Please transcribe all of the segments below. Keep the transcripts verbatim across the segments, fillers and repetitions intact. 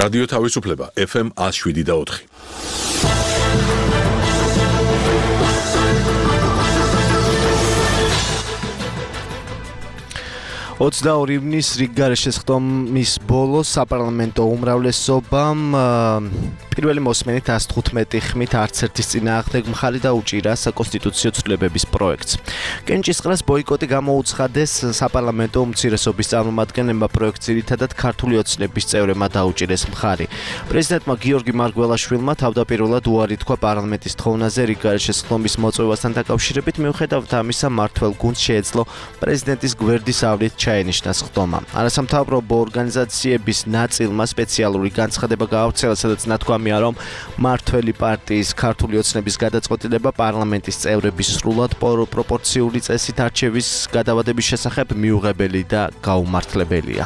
რადიო თავისუფლება ეფ ემ ათს შვიდი და ოთხი. ოცდაორი ივნის რიგგარეშე შესხდომის ბოლოს საპარლამენტო უმრავლესობამ პირველი მოსმენით ას თხუთმეტი ხმით არც ერთის წინააღმდეგ მხარი დაუჭირა საკონსტიტუციო ცვლილებების პროექტს. კენჭისყრას ბოიკოტი გამოუცხადეს საპარლამენტო უმცირესობის წარმომადგენლებმა პროექტს ძირითადად ქართული ოცნების წევრებმა დაუჭირეს მხარი. პრეზიდენტმა გიორგი მარგველაშვილმა თავდაპირველად უარი თქვა პარლამენტის თხოვნაზე რიგგარეშე შესხდომის მოწვევასთან დაკავშირებით, მიუხედავად ამისა მმართველ გუნდს შეეძლო პრეზიდენტის გვერდის ავლით ჩაენიშნა სხდომა. არასამთავრობო ორგანიზაციების ნაწილმა სპეციალური განცხადება გაავრცელა, სადაც ნათქვამია, რომ მმართველი პარტიის ქართული ოცნების გადაწყვეტილება პარლამენტის წევრების სრულად პროპორციული წესით არჩევის გადავადების შესახებ მიუღებელი და გაუმართლებელია.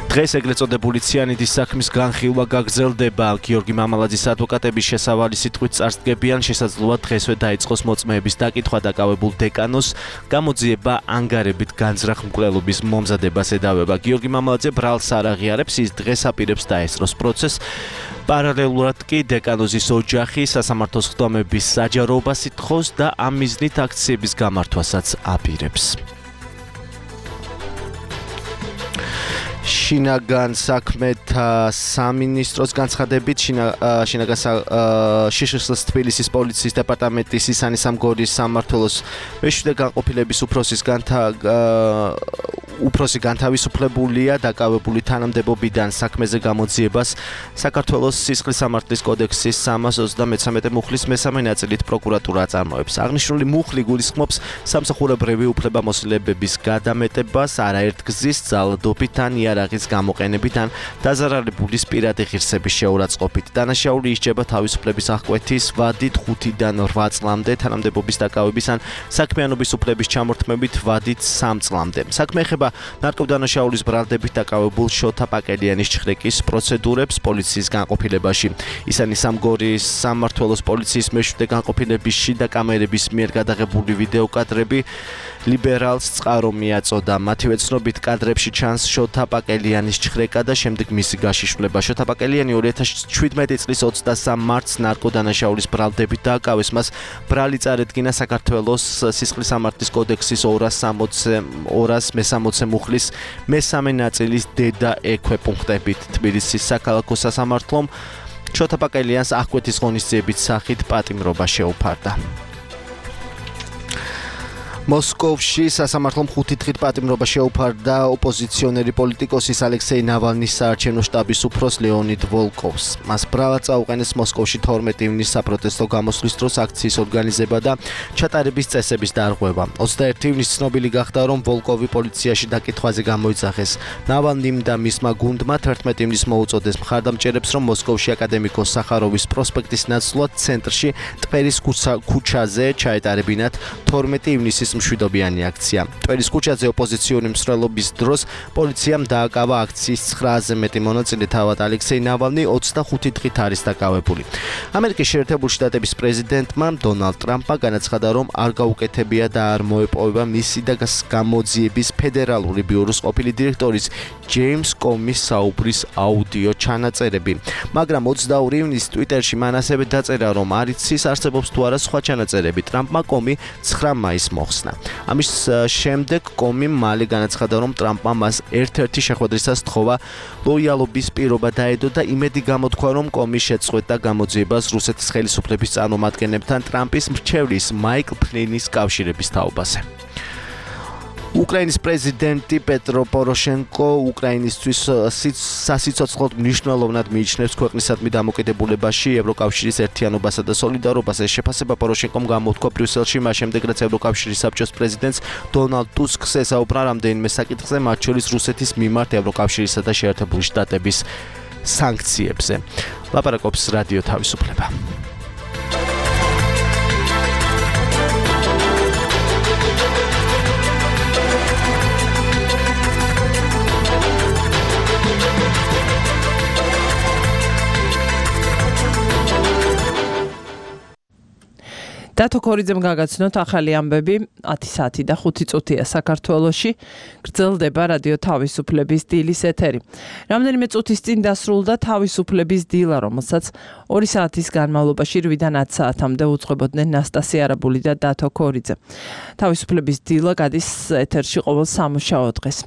დღეს ეგრეთ წოდებული ციანიდის საქმის განხილვა გაგრძელდება. გიორგი მამალაძის ადვოკატების შესავალი სიტყვით წარსდგებიან, შესაძლოა დღესვე დაიწყოს მოწმეების დაკითხვა დაკავებულ დეკანოს გამოძიება ანგარებით განზრახ მკვლელობის მომზადებას ედავება. გიორგი მამალაძე ბრალს არ აღიარებს, ის დღეს აპირებს დაესწროს პროცესს. პარალელურად კი დეკანოზის ოჯახი სასამართლო სხდომების საჯაროობას ითხოვს და ამ მიზნით აქციების გამართვასაც აპირებს. შინაგან საქმეთა სამინისტროს განცხადებით შინაგან შიშხლის თბილისის პოლიციის დეპარტამენტის ისანი სამგორის სამმართველოს მეშვიდე განყოფილების უფროსის განთა უფროსი განთავისუფლებულია დაკავებული თანამდებობიდან საქმეზე გამოძიებას საქართველოს სისხლის სამართლის კოდექსის სამას ოცდამეცამეტე მუხლის მესამე ნაწილით პროკურატურა აწარმოებს. აღნიშნული მუხლი გულისხმობს სამსახურებრივი უფლებამოსილებების გადამეტებას არაერთგზის ძალადობით ან იარაღის გამოყენებით ან დაზარალებულის პირადი ღირსების შეურაცხყოფით. დანაშაული ისჯება თავისუფლების აღკვეთის ვადით ხუთიდან რვა წლამდე, თანამდებობის დაკავების ან საქმიანობის უფლების ჩამორთმებით ვადით სამ წლამდე. საქმე ეხება ნარკოდანაშაულის ბრალდებით დაკავებულ შოთა პაკელიანის ჩხრეკის პროცედურებს პოლიციის განყოფილებაში. ისანი სამგორის სამმართველოს პოლიციის მეშვიდე განყოფილების შიდა კამერების მიერ გადაღებული ვიდეოკადრები ლიბერალს წყარო მიაწოდა. მათივე ცნობით კადრებში ჩანს შოთა პაკელიანის ჩხრეკა და შემდეგ მისი გაშიშვლება. შოთა პაკელიანი ორი ათას შვიდმეტი წლის ოცდასამ მარტს ნარკოდანაშაულის ბრალდებით დააკავეს. მას ბრალი წარედგინა საქართველოს სისხლის სამართლის კოდექსის ორას მესამოცე მუხლის მესამე ნაწილის დედა ექვე პუნქტებით. თბილისის საქალაქო სასამართლომ შოთა პაკელიანს აღკვეთის ღონისძიების სახით პატიმრობა შეუფარდა. მოსკოვში სასამართლომ ხუთი დღით პატიმრობა შეუფარდა ოპოზიციონერი პოლიტიკოსის ალექსეი ნავალნის საარჩევნო შტაბის უფროს ლეონიდ ვოლკოვს. მას ბრალად წაუყენეს მოსკოვში თორმეტი ივნის საპროტესტო გამოსვლის დროს აქციის ორგანიზება და ჩატარების წესების დარღვევა. ოცდაერთი ივნის ცნობილი გახდა, რომ ვოლკოვი პოლიციაში დაკითხვაზე გამოიძახეს. ნავალნიმ და მისმა გუნდმა თერთმეტი ივნის მოუწოდეს მხარდამჭერებს, რომ მოსკოვში აკადემიკოს სახაროვის პროსპექტის ნაცვლად ცენტრში ტვერის ქუჩაზე ჩაეტარებინათ თორმეტი ივნისის მშვიდობიანი აქცია. ტვერის ქუჩაზე ოპოზიციური მსვლელობის დროს პოლიციამ დააკავა აქციის ცხრააზე მეტი მონაწილე, თავად ალექსეი ნავალნი ოცდახუთი დღით არის დაკავებული. ამერიკის შეერთებული შტატების პრეზიდენტმა დონალდ ტრამპმა განაცხადა, რომ არ გაუკეთებია და არ მოეპოვება მისი და გამოძიების ფედერალური ბიუროს ყოფილი დირექტორის ჯეიმს კომის საუბრის აუდიო ჩანაწერები. მაგრამ ოცდაორი ივნის ტვიტერში მან ასევე დაწერა, რომ არ იცის არსებობს თუ არა სხვა ჩანაწერები. ტრამპმა კომი ცხრა მაისს მოხსნა. ამის შემდეგ კომი მალე განაცხადა, რომ ტრამპმა მას ერთ-ერთი შეხვედრისას თხოვა ლოიალობის პირობა დაედო და იმედი გამოთქვა, რომ კომი შეწყვეტდა გამოძიებას რუსეთის ხელისუფლების წარმომადგენლებთან ტრამპის მრჩევლის მაიკლ ფლინის კავშირების თაობაზე. უკრაინის პრეზიდენტი პეტრო პოროშენკო უკრაინისთვის სასიცოცხლოდ მნიშვნელოვნად მიიჩნევს ქვეყნისადმი დამოკიდებულებაში ევროკავშირის ერთიანობასა და სოლიდარობას. ეს შეფასება პოროშენკომ გამოთქვა ბრიუსელში, მას შემდეგ რაც ევროკავშირის საბჭოს პრეზიდენტს დონალდ ტუსკს ესაუბრა რამდენიმე საკითხზე, მათ შორის რუსეთის მიმართ ევროკავშირისა და შეერთებული შტატების სანქციებზე. ლაპარაკობს რადიო თავისუფლება. დათო ქორიძემ გაგაცნოთ ახალი ამბები ათი საათი და ხუთი წუთია საქართველოში გრძელდება რადიო თავისუფლების დილის ეთერი. Რამდენიმე წუთის წინ დასრულდა თავისუფლების დილა, რომელსაც ორი საათის განმავლობაში რვიდან ათი საათამდე უძღვებოდნენ ნასტასია არაბული და დათო ქორიძე. თავისუფლების დილა გადის ეთერში ყოველ სამუშაო დღეს.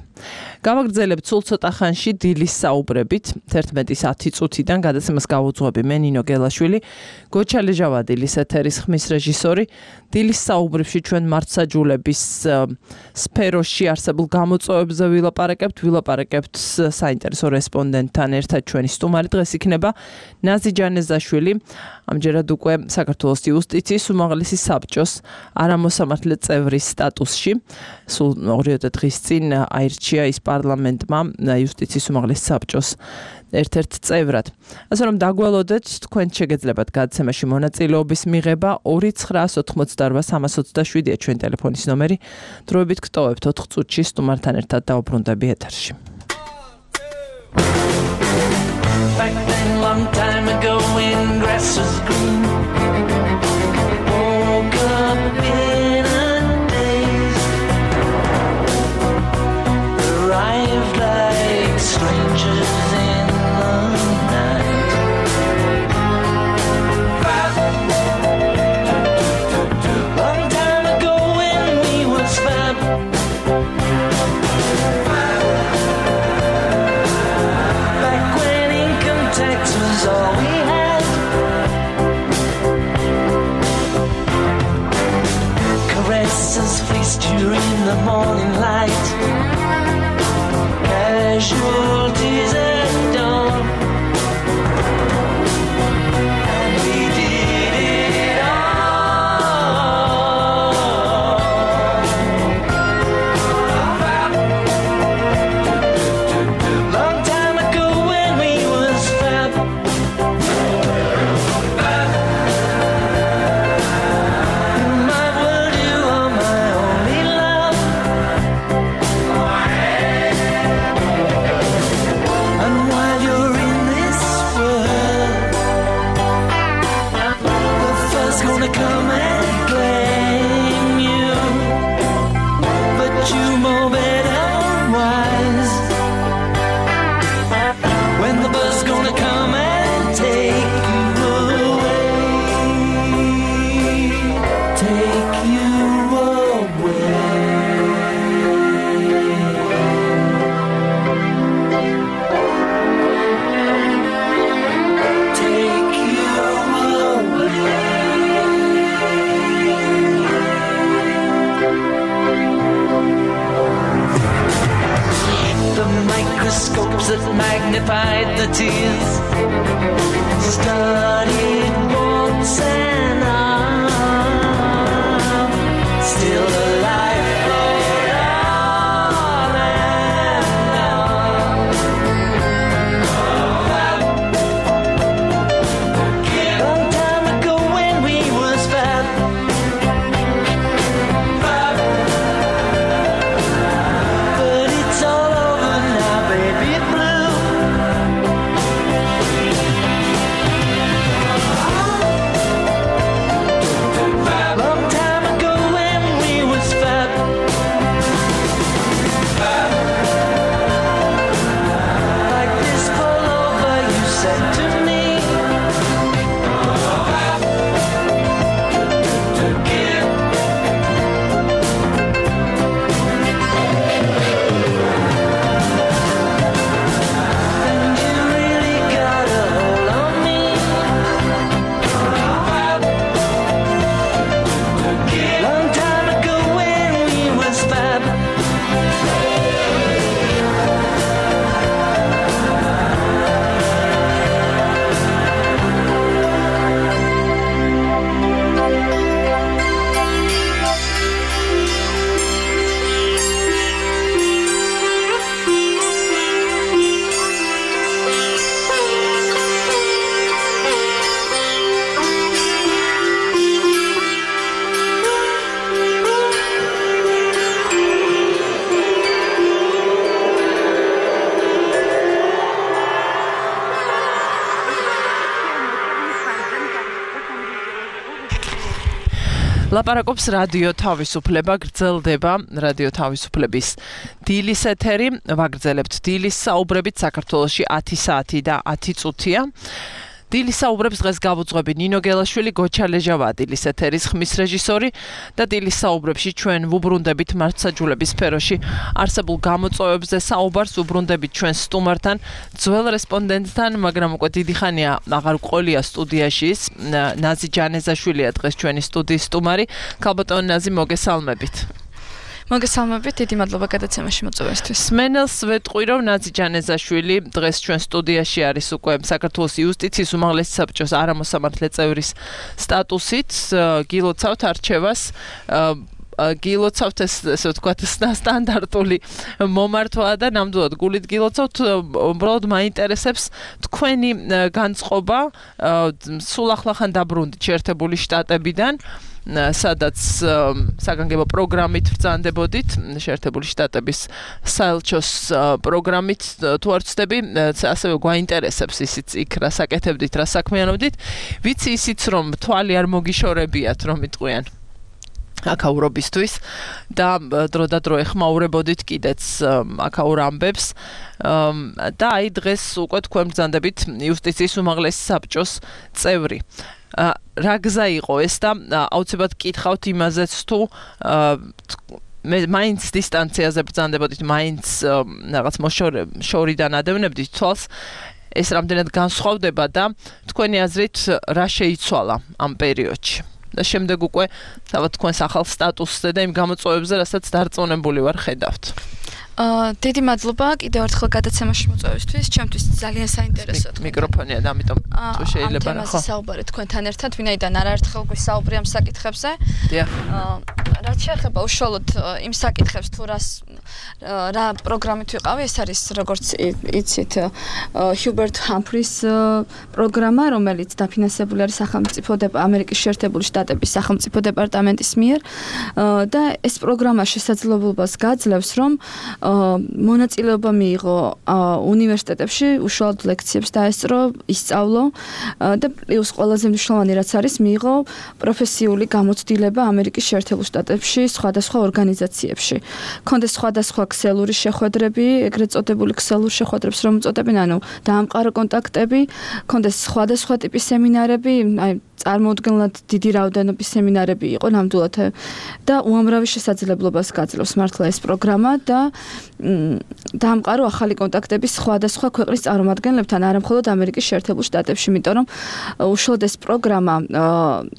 გავაგრძელებთ სულ ცოტა ხანში დილის საუბრებით, თერთმეტის ათი წუთიდან გადაცემას გავუძღვები მე ნინო გელაშვილი, გოჩა ლეჟავა დილის ეთერის ხმის რეჟისორი. დილის საუბრებში ჩვენ მართსაჯულების სფეროში არსებულ გამოწვევებზე ვილაპარაკებთ, ვილაპარაკებთ საინტერესო რესპონდენტთან ერთად ჩვენი სტუმარი დღეს იქნება ნაზი ჯანეზაშვილი, ამჯერად უკვე საქართველოს იუსტიციის უმაღლესი საბჭოს არამოსამართლე წევრის სტატუსში. სულ ორიოდე დღის წინ აირჩია ის პარლამენტმა იუსტიციის უმაღლეს საბჭოს ერთ-ერთ წევრად. ასე რომ დაგველოდეთ, თქვენ შეგეძლებათ გადაცემაში მონაწილეობის მიღება ორი ცხრაას ოთხმოცდაორ სამას ოცდაშვიდია ჩვენ ტელეფონის ნომერი. დროებით გტოვებთ ოთხ წუთში სტუმართან ერთად დავუბრუნდები ეთერში. Back then, long time ago, when grass was green, woke up in a daze, arrived like strangers in the night. Long time ago, when we was fab. Tax was all we had. Caresses fleeced you in the morning light. Casualties at dawn. And we did it all. Long time ago when we was fab. In my world you are my only love. And while you're in this world, the first gonna come and claim you. But you know better wise. When the bus gonna come and take you away, take you away, take you away. The microscopes that magnified the tears studied once and I'm still alive for all and all. Long time ago when we was fab. But it's all over now, baby blue. ლაპარაკობს რადიო თავისუფლება, გრძელდება რადიო თავისუფლების დილის ეთერი, ვაგრძელებთ დილის საუბრებით საქართველოში ათი საათი და ათი წუთია. დილის საუბრებს დღეს გავუძღვები ნინო გელაშვილი, გოჩა ლეჟავა დილის ეთერის ხმის რეჟისორი და დილის საუბრებში ჩვენ ვუბრუნდებით მართლმსაჯულების სფეროში არსებულ გამოწვევებზე საუბარს, ვუბრუნდებით ჩვენ სტუმართან, ძველ რესპონდენტთან, მაგრამ უკვე დიდი ხანია აღარ ყოლია სტუდიაში ის ნაზი ჯანეზაშვილია დღეს ჩვენი სტუდიის სტუმარი. ქალბატონო ნაზი, მოგესალმებით. მოგესალმებით, დიდი მადლობა გადაცემაში მოწვევისთვის. სმენელს ვეტყვი, რომ ნაზი ჯანეზაშვილი დღეს ჩვენ სტუდიაში არის უკვე საქართველოს იუსტიციის უმაღლესი საბჭოს არამოსამართლე წევრის სტატუსით, გილოცავთ არჩევას. გილოცავთ ეს ესე ვთქვათ სტანდარტული მომართვაა და ნამდვილად გულით გილოცავთ. უბრალოდ მაინტერესებს თქვენი განწყობა, სულ ახლახან დაბრუნდით შეერთებული შტატებიდან, სადაც საგანგებო პროგრამით ბრძანდებოდით, შეერთებული შტატების საელჩოს პროგრამით თუ არ ვცდები, ასევე გვაინტერესებს ისიც იქ რა საკეთებდით, რა საქმიანობდით. ვიცი ისიც, რომ თვალი არ მოგიშორებიათ, რომ იტყვიან აკაურობისთვის და დრო და დრო ეხმაურებოდით კიდეც აკაურ ამბებს და აი დღეს უკვე თქვენ ბრძანდებით იუსტიციის უმაღლესი საბჭოს წევრი. რა გზა იყო ეს და აუცილებლად კითხავთ იმაზეც თუ მე მაინც დისტანციაზე ბრძანდებოდით, მაინც რაღაც მოშორიდან ადევნებდით თვალს, ეს რამდენად განსხვავდება და თქვენი აზრით რა შეიცვალა ამ პერიოდში და შემდეგ უკვე თავად თქვენს ახალ სტატუსზე და იმ გამოწვევებზე, რასაც დარწმუნებული ვარ ხედავთ. აა დიდი მადლობა კიდევ ერთხელ გადაცემაში მოწვევისთვის. ჩემთვის ძალიან საინტერესოა. მიკროფონია და ამიტომ თუ შეიძლება რა ხო საუბარი თქვენთან ერთად, ვინაიდან არაერთხელ გვისაუბრე ამ საკითხებზე. დიახ. აა რაც შეეხება უშუალოდ იმ საკითხებს, თუ რას რა პროგრამით ვიყავი, ეს არის როგორც იცით ჰიუბერტ ჰამფრის პროგრამა, რომელიც დაფინანსებული არის სახელმწიფო ამერიკის შეერთებული შტატების სახელმწიფო დეპარტამენტის მიერ და ეს პროგრამა შესაძლებლობას გაძლევს, რომ მონაწილეობა მიიღო უნივერსიტეტებში, უშუალოდ ლექციებს დაესწრო, ისწავლო და პლუს ყველაზე მნიშვნელოვანი რაც არის, მიიღო პროფესიული გამოცდილება ამერიკის შეერთებულ შტატებში, სხვადასხვა ორგანიზაციებში. ქონდეს სხვადასხვა ქსელური შეხვედრები, ეგრეთ წოდებული ქსელურ შეხვედრებს რომ უწოდებენ, ანუ დაამყარო კონტაქტები, ქონდეს სხვადასხვა ტიპის სემინარები, აი წარმოუდგენლად დიდი რაოდენობის სემინარები იყო ნამდვილად და უამრავი შესაძლებლობას გაძლევს მართლა ეს პროგრამა და დაამყარო ახალი კონტაქტები სხვადასხვა ქვეყნის წარმომადგენლებთან, არა მხოლოდ ამერიკის შეერთებულ შტატებში, იმიტომ რომ უშუალოდ ეს პროგრამა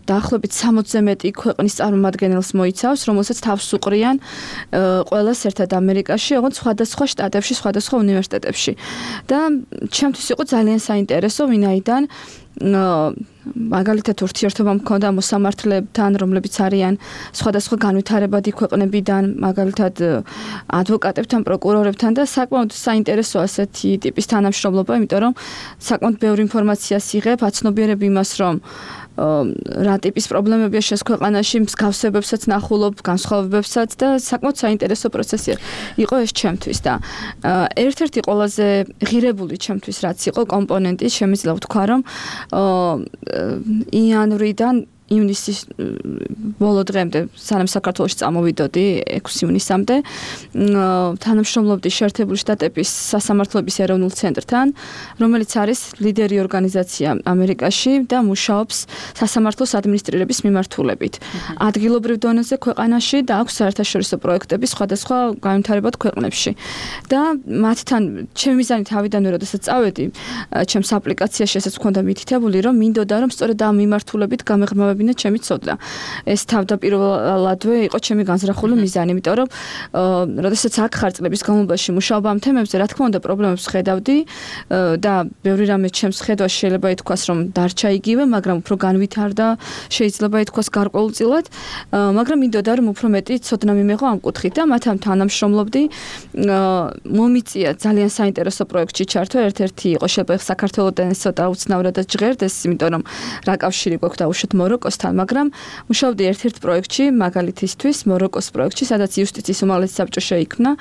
დაახლოებით სამოცზე მეტი ქვეყნის წარმომადგენელს მოიცავს, რომელსაც თავს უყრიან ყველას ერთად ამერიკაში, ოღონდ სხვადასხვა შტატებში, სხვადასხვა უნივერსიტეტებში. და ჩემთვის იყო ძალიან საინტერესო, ვინაიდან მაგალითად ურთიერთობა მქონდა მოსამართლებთან, რომლებიც არიან სხვადასხვა განვითარებადი ქვეყნებიდან, მაგალითად ადვოკატებთან, პროკურორებთან და საკმაოდ საინტერესოა ასეთი ტიპის თანამშრომლობა, იმიტომ რომ საკმაოდ ბევრი ინფორმაციას იღებ, აცნობიერებ იმას, რომ რა ტიპის პრობლემებია შენს ქვეყანაში, მსგავსებებსაც ნახულობ, განსხვავებებსაც და საკმაოდ საინტერესო პროცესი იყო ეს ჩემთვის და ერთ-ერთი ყველაზე ღირებული ჩემთვის რაც იყო კომპონენტი, შემიძლია ვთქვა, რომ იანვრიდან ივნისის ბოლო დღემდე, სანამ საქართველოში წამოვიდოდი ექვსი ივნისამდე, თანამშრომლობდი შეერთებული შტატების სასამართლოების ეროვნულ ცენტრთან, რომელიც არის ლიდერი ორგანიზაცია ამერიკაში და მუშაობს სასამართლოს ადმინისტრირების მიმართულებით. ადგილობრივ დონეზე ქვეყანაში და აქვს საერთაშორისო პროექტები სხვადასხვა განვითარებად ქვეყნებში. და მათთან ჩემი მიზანი თავიდანვე, როდესაც წავედი, ჩემს აპლიკაციაში ესაც მქონდა მითითებული, რომ მინდოდა, რომ სწორედ ამ მიმართულებით გამეღრმავებინა ჩემი ცოდნა. ეს თავდაპირველადვე იყო ჩემი განზრახული მიზანი, იმიტომ რომ როდესაც აქ ხარ წლების განმავლობაში მუშაობა ამ თემებზე, რა თქმა უნდა, პრობლემებს ხედავდი და ბევრი რამე ჩემს ხედვაში შეიძლება ითქვას, რომ დარჩა იგივე, მაგრამ უფრო განვითარდა, შეიძლება ითქვას გარკვეულწილად, მაგრამ მინდოდა, რომ უფრო მეტი ცოდნა მიმეღო ამ კუთხით და მათთან თანამშრომლობდი. მომიწია ძალიან საინტერესო პროექტში ჩართვა, ერთ-ერთი იყო შეიძლება საქართველოდან ცოტა უცნავრადაც ჟღერდეს, იმიტომ რომ რა კავშირი გვაქვს დაუშვათ მოროკოს პოლიტიკოსთან, მაგრამ მუშაობდი ერთ-ერთ პროექტში, მაგალითისთვის, მოროკოს პროექტში, სადაც იუსტიციის უმაღლესი საბჭო შეიქმნა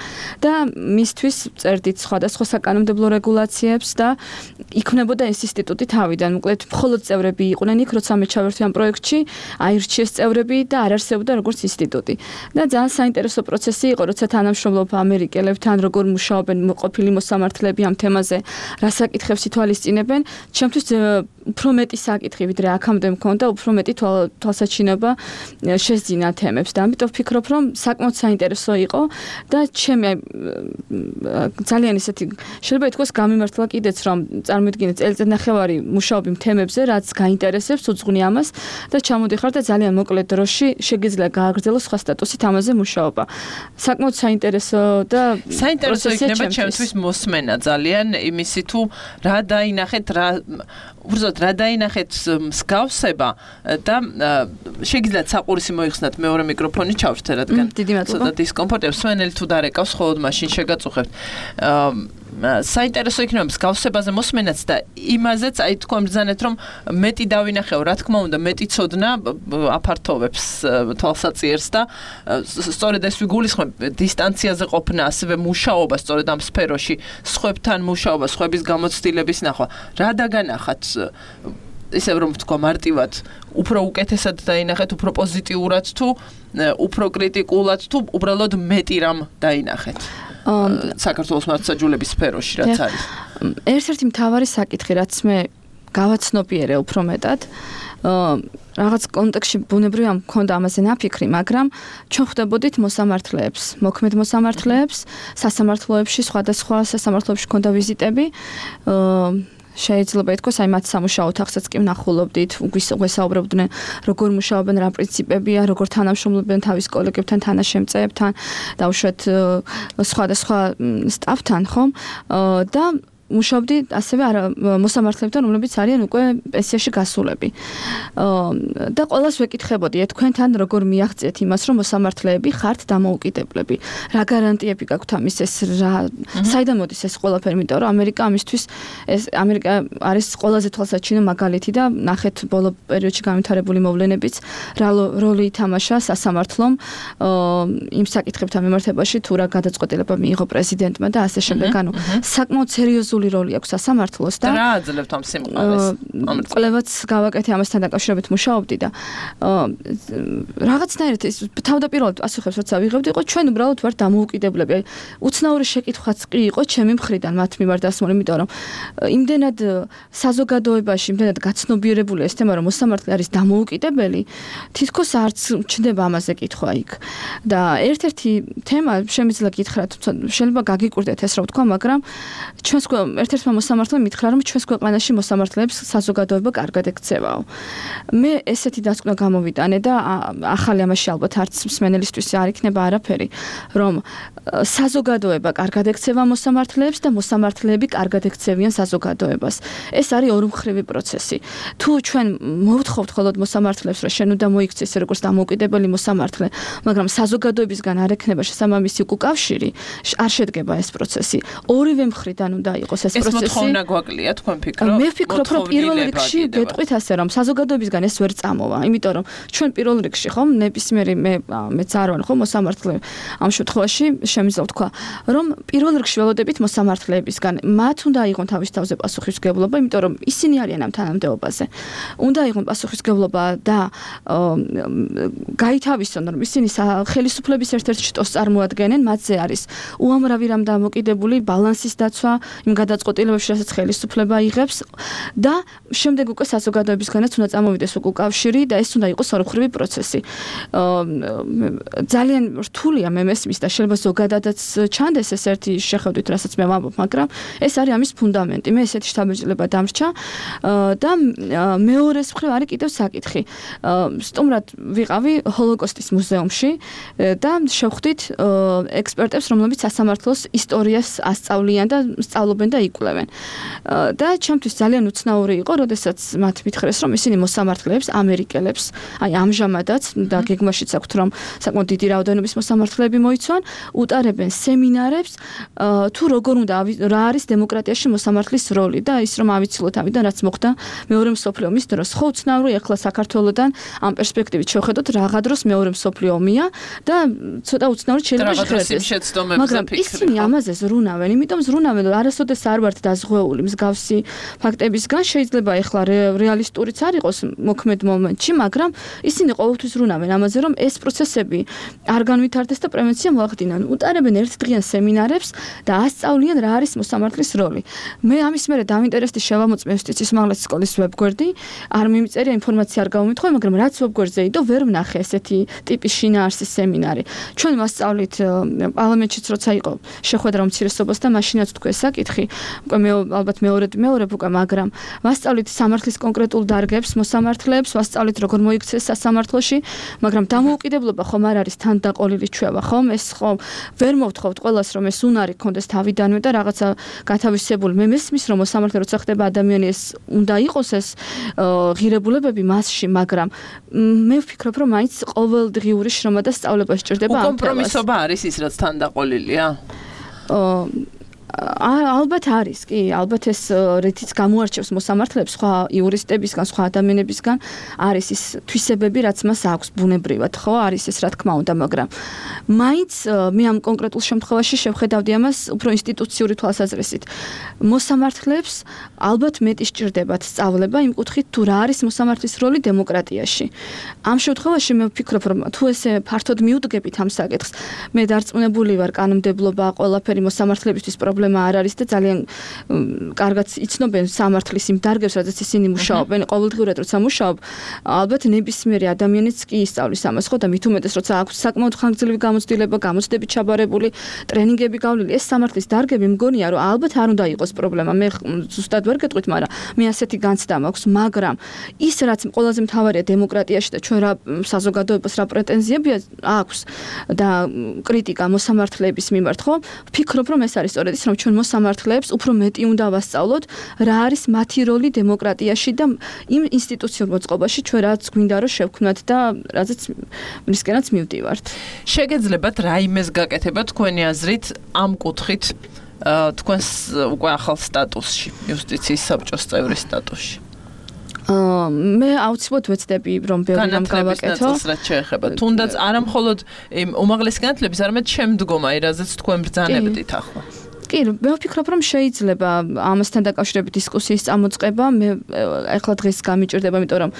და მისთვის წერდით სხვადასხვა საკანონმდებლო რეგულაციებს და იქმნებოდა ეს ინსტიტუტი თავიდან. მოკლედ, მხოლოდ წევრები იყვნენ იქ, როცა მე ჩავერთვი ამ პროექტში, აირჩიეს წევრები და არ არსებობდა როგორც ინსტიტუტი. და ძალიან საინტერესო პროცესი იყო, როცა თანამშრომლობ ამერიკელებთან, როგორ მუშაობენ ყოფილი მოსამართლეები ამ თემაზე, რა საკითხებს ითვალისწინებენ, ჩემთვის უფრო მეტი საკითხი, ვიდრე აქამდე მქონდა, უფრო მეტი თვალსაჩინობა შეძინა თემებს და ამიტომ ვფიქრობ, რომ საკმაოდ საინტერესო იყო და ჩემი ძალიან ისეთი შეიძლება ითქვას გამიმართლა კიდეც, რომ წარმოიდგინეთ წელიწადნახევარი მუშაობ იმ თემებზე, რაც გაინტერესებს, უძღვნი ამას და ჩამოდიხარ და ძალიან მოკლე დროში შეგიძლია გააგრძელოს სხვა სტატუსით ამაზე მუშაობა. საკმაოდ საინტერესო და საინტერესო იქნება ჩემთვის მოსმენა ძალიან იმისი თუ რა დაინახეთ, რა უბრალოდ რა დაინახეთ მსგავსება და შეგიძლიათ საყურისი მოიხსნათ მეორე მიკროფონი ჩავრთე, რადგან ცოტა დისკომფორტებს სვენელი თუ დარეკავს, ხოლოდ მაშინ შეგაწუხებთ. საინტერესო იქნება მსგავსებაზე მოსმენაც და იმაზეც აი თქვენ ბრძანეთ, რომ მეტი დავინახეო, რა თქმა უნდა, მეტი ცოდნა აფართოვებს თვალსაწიერს და სწორედ ეს ვიგულისხმებ დისტანციაზე ყოფნა, ასევე მუშაობა სწორედ ამ სფეროში, სხვებთან მუშაობა, სხვების გამოცდილების ნახვა. რა დაგანახათ ისევ რომ თქვა მარტივად, უფრო უკეთესად დაინახეთ, უფრო პოზიტიურად თუ უფრო კრიტიკულად თუ უბრალოდ მეტი რამ დაინახეთ. საქართველოს მართლმსაჯულების სფეროში რაც არის. ერთ-ერთი მთავარი საკითხი, რაც მე გავაცნობიერე უფრო მეტად, რაღაც კონტექსტში ბუნებრივია მქონდა ამაზე ნაფიქრი, მაგრამ ჩვენ ხვდებოდით მოსამართლეებს, მოქმედ მოსამართლეებს, სასამართლოებში, სხვადასხვა სასამართლოებში მქონდა ვიზიტები. შეიძლება ითქვას, აი მათ სამუშაო ოთახსაც კი ვნახულობდით, გვესაუბრებდნენ, როგორ მუშაობენ, რა პრინციპებია, როგორ თანამშრომლობენ თავის კოლეგებთან, თანაშემწეებთან, დაუშვათ სხვადასხვა სტაფთან, ხომ? და მუშაობდი ასევე მოსამართლეებთან, რომლებიც არიან უკვე პენსიაში გასულები. და ყველას ვეკითხებოდი, თქვენთან როგორ მიაღწიეთ იმას, რომ მოსამართლეები ხართ დამოუკიდებლები. რა გარანტიები გაქვთ ამის, ეს რა საიდან მოდის ეს ყველაფერი, იმიტომ რომ ამერიკა ამისთვის ეს ამერიკა არის ყველაზე თვალსაჩინო მაგალითი და ნახეთ ბოლო პერიოდში განვითარებული მოვლენებიც, რა როლი ითამაშა სასამართლომ იმ საკითხებთან მიმართებაში, თუ რა გადაწყვეტილება მიიღო პრეზიდენტმა და ასე შემდეგ. ანუ საკმაოდ სერიოზული როლი აქვს სასამართლოს და რა აძლევთ ამ სიმყარეს? კვლევაც გავაკეთე ამასთან დაკავშირებით მუშაობდი და რაღაცნაირად ეს თავდაპირველად პასუხებს როცა ვიღებდი, იყო ჩვენ უბრალოდ ვართ დამოუკიდებლები. აი უცნაური შეკითხვაც კი იყო ჩემი მხრიდან მათ მიმართ დასმული, იმიტომ რომ იმდენად საზოგადოებაში, იმდენად გაცნობიერებული ეს თემა, რომ მოსამართლე არის დამოუკიდებელი, თითქოს არც ჩნდება ამაზე კითხვა იქ. და ერთ-ერთი თემა შემიძლია გითხრათ, შეიძლება გაგიკვირდეთ ეს რა ვთქვა, მაგრამ ჩვენს ერთ-ერთმა მოსამართლემ მითხრა, რომ ჩვენს ქვეყანაში მოსამართლეებს საზოგადოება კარგად ექცევაო. მე ესეთი დასკვნა გამოვიტანე და ახალი ამაში ალბათ არც მსმენელისთვის არ იქნება არაფერი, რომ საზოგადოება კარგად ექცევა მოსამართლეებს და მოსამართლეები კარგად ექცევიან საზოგადოებას. ეს არის ორმხრივი პროცესი. თუ ჩვენ მოვთხოვთ მხოლოდ მოსამართლეებს, რომ შენ უნდა მოიქცეს როგორც დამოუკიდებელი მოსამართლე, მაგრამ საზოგადოებისგან არ ექნება შესაბამისი უკავშირი, არ შედგება ეს პროცესი. ორივე მხრიდან უნდა იყოს ეს პროცესი. ეს მოთხოვნა გვაკლია, თქვენ ფიქრობთ? მე ვფიქრობ, რომ პირველ რიგში გეტყვით ასე, რომ საზოგადოებისგან ეს ვერ წამოვა, იმიტომ რომ ჩვენ პირველ რიგში ხომ ნებისმიერი მე მეც არ ვარ ხომ მოსამართლე ამ შემთხვევაში შემიძლია ვთქვა, რომ პირველ რიგში ველოდებით მოსამართლეებისგან. მათ უნდა აიღონ თავის თავზე პასუხისმგებლობა, იმიტომ რომ ისინი არიან ამ თანამდებობაზე. უნდა აიღონ პასუხისმგებლობა და გაითავისონ, რომ ისინი ხელისუფლების ერთ-ერთ შტოს წარმოადგენენ, მათზე არის უამრავი რამ დამოკიდებული ბალანსის დაცვა იმ გადაწყვეტილებებში, რასაც ხელისუფლება იღებს და შემდეგ უკვე საზოგადოებისგანაც უნდა წამოვიდეს უკავშირი და ეს უნდა იყოს ორმხრივი პროცესი. ძალიან რთულია მე მესმის და შეიძლება ზოგადადაც ჩანდეს ეს ერთი შეხედვით, რასაც მე ვამბობ, მაგრამ ეს არის ამის ფუნდამენტი. მე ესეთი შთაბეჭდილება დამრჩა და მეორეს მხრივ არის კიდევ საკითხი. სტუმრად ვიყავი ჰოლოკოსტის მუზეუმში და შევხვდით ექსპერტებს, რომლებიც სასამართლოს ისტორიას ასწავლიან და სწავლობენ და იკვლევენ. და ჩემთვის ძალიან უცნაური იყო, როდესაც მათ მითხრეს, რომ ისინი მოსამართლეებს, ამერიკელებს, აი ამჟამადაც და გეგმაშიც აქვთ, რომ საკმაოდ დიდი რაოდენობის მოსამართლეები მოიცვან, უტარებენ სემინარებს, თუ როგორ უნდა რა არის დემოკრატიაში მოსამართლის როლი და ის რომ ავიცილოთ ამიდან რაც მოხდა მეორე მსოფლიო ომის დროს. ხო უცნაური ახლა საქართველოსთან ამ პერსპექტივით შევხედოთ, რაღა დროს მეორე მსოფლიო ომია და ცოტა უცნაური შეიძლება შეხედოს. მაგრამ ისინი ამაზე ზრუნავენ, იმიტომ ზრუნავენ, რომ არასოდეს არ ვართ დაზღვეული მსგავსი ფაქტებისგან, შეიძლება ახლა რეალისტურიც არ იყოს მოქმედ მომენტში, მაგრამ ისინი ყოველთვის ზრუნავენ ამაზე, რომ ეს პროცესები არ განვითარდეს და პრევენცია მოახდინონ. უტარებენ ერთდღიან სემინარებს და ასწავლიან რა არის მოსამართლის როლი. მე ამის მერე დავინტერესდი შევამოწმე იუსტიციის უმაღლესი სკოლის ვებგვერდი, არ მიმწერია ინფორმაცია არ გამომითხოვე, მაგრამ რაც ვებგვერდზე იდო, ვერ ვნახე ესეთი ტიპის შინაარსის სემინარი. ჩვენ მასწავლით პარლამენტშიც როცა იყო შეხვედრა უმცირესობასთან, მაშინაც თქვა საკითხი, უკვე მე ალბათ მეორედ მეორებ უკვე, მაგრამ მასწავლით სამართლის კონკრეტულ დარგებს, მოსამართლეებს, ვასწავლით როგორ მოიქცეს სასამართლოში, მაგრამ დამოუკიდებლობა ხომ არ არის თანდაყოლილი ჩვევა, ხომ? ეს ხომ ვერ მოვთხოვთ ყველას, რომ ეს უნარი გქონდეს თავიდანვე და რაღაცა გათავისებული. მე მესმის, რომ მოსამართლე როცა ხდება ადამიანი, ეს უნდა იყოს ეს ღირებულებები მასში, მაგრამ მე ვფიქრობ, რომ მაინც ყოველდღიური შრომა და სწავლება სჭირდება ამ თემას. კომპრომისობა არის ის, რაც თანდაყოლილია? ალბათ არის, კი, ალბათ ეს რითიც გამოარჩევს მოსამართლეებს სხვა იურისტებისგან, სხვა ადამიანებისგან არის ის თვისებები, რაც მას აქვს ბუნებრივად, ხო? არის ეს რა თქმა უნდა, მაგრამ მაინც მე ამ კონკრეტულ შემთხვევაში შევხედავდი ამას უფრო ინსტიტუციური თვალსაზრისით. მოსამართლეებს ალბათ მეტი სჭირდებათ სწავლება იმ კუთხით, თუ რა არის მოსამართლის როლი დემოკრატიაში. ამ შემთხვევაში მე ვფიქრობ, რომ თუ ესე ფართოდ მიუდგებით ამ საკითხს, მე დარწმუნებული ვარ, კანონმდებლობა ყველაფერი მოსამართლებისთვის პრობლემა არ არის და ძალიან კარგად იცნობენ სამართლის იმ დარგებს, რადგან ისინი მუშაობენ, ყოველდღიურად როცა მუშაობ, ალბათ ნებისმიერი ადამიანიც კი ისწავლის ამას, ხო და მით უმეტეს როცა აქვს საკმაოდ ხანგრძლივი გამოცდილება, გამოცდები ჩაბარებული, ტრენინგები გავლილი, ეს სამართლის დარგები მგონია, რომ ალბათ არ უნდა იყოს პრობლემა. მე ზუსტად ვერ გეტყვით, მაგრამ მე ასეთი განცდა მაქვს, მაგრამ ის რაც ყველაზე მთავარია დემოკრატიაში და ჩვენ რა საზოგადოებას რა პრეტენზიები აქვს და კრიტიკა მოსამართლეების მიმართ, ხო? ვფიქრობ, რომ ეს არის სწორედ ის, რომ ჩვენ მოსამართლეებს უფრო მეტი უნდა ვასწავლოთ, რა არის მათი როლი დემოკრატიაში და იმ ინსტიტუციურ მოწყობაში ჩვენ რაც გვინდა რომ შევქმნათ და რაზეც მისკენაც მივდივართ. შეგეძლებათ რაიმეს გაკეთება თქვენი აზრით ამ კუთხით თქვენს უკვე ახალ სტატუსში, იუსტიციის საბჭოს წევრის სტატუსში? მე აუცილებლად ვეცდები რომ ბევრი რამ გავაკეთო. რაც შეეხება თუნდაც არა მხოლოდ იმ უმაღლესი განათლების, არამედ შემდგომ აი რაზეც თქვენ ბრძანებდით ახლა. კი, მე ვფიქრობ, რომ შეიძლება ამასთან დაკავშირებით დისკუსიის წამოწყება. მე ახლა დღეს გამიჭირდება, იმიტომ რომ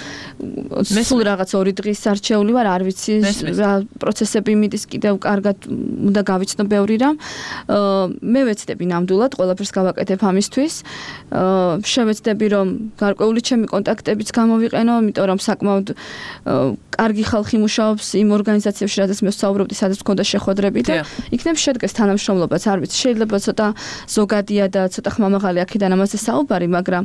სულ რაღაც ორი დღის არჩეული ვარ, არ ვიცი რა პროცესები მიდის კიდევ კარგად უნდა გავიცნო ბევრი რამ. მე ვეცდები ნამდვილად ყველაფერს გავაკეთებ ამისთვის. შევეცდები რომ გარკვეული ჩემი კონტაქტებიც გამოვიყენო, იმიტომ რომ საკმაოდ კარგი ხალხი მუშაობს იმ ორგანიზაციებში, რადგან მე ვსაუბრობდი, სადაც მქონდა შეხვედრები და იქნებ შედგეს თანამშრომლობაც, არ ვიცი, შეიძლება ცოტა ზოგადია და ცოტა ხმამაღალი აქედან ამაზე საუბარი, მაგრამ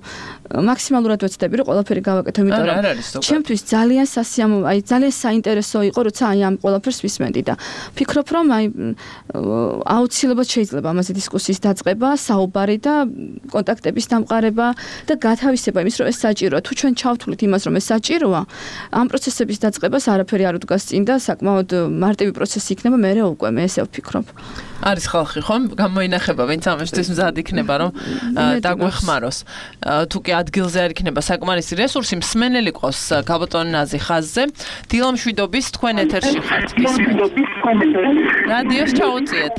მაქსიმალურად ვეცდები რომ ყველაფერი გავაკეთო, იმიტომ რომ ჩემთვის ძალიან სასიამოვნო, აი ძალიან საინტერესო იყო, როცა აი ამ ყველაფერს ვისმენდი და ვფიქრობ, რომ აი აუცილებლად შეიძლება ამაზე დისკუსიის დაწყება, საუბარი და კონტაქტების დამყარება და გათავისება იმის, რომ ეს საჭიროა. თუ ჩვენ ჩავთვლით იმას, რომ ეს საჭიროა, ამ პროცესების დაწყებას არაფერი არ უდგას წინ და საკმაოდ მარტივი პროცესი იქნება, მე უკვე მე ესე ვფიქრობ. არის ხალხი ხომ გამოინახება, ვინც ამისთვის მზად იქნება, რომ დაგვეხმაროს. თუ კი ადგილზე არ იქნება საკმარისი რესურსი, მსმენელი ყავს გაბატონ ნაზი ხაზზე. დილა მშვიდობის, თქვენ ეთერში ხართ. რადიოს ჩაუწიეთ.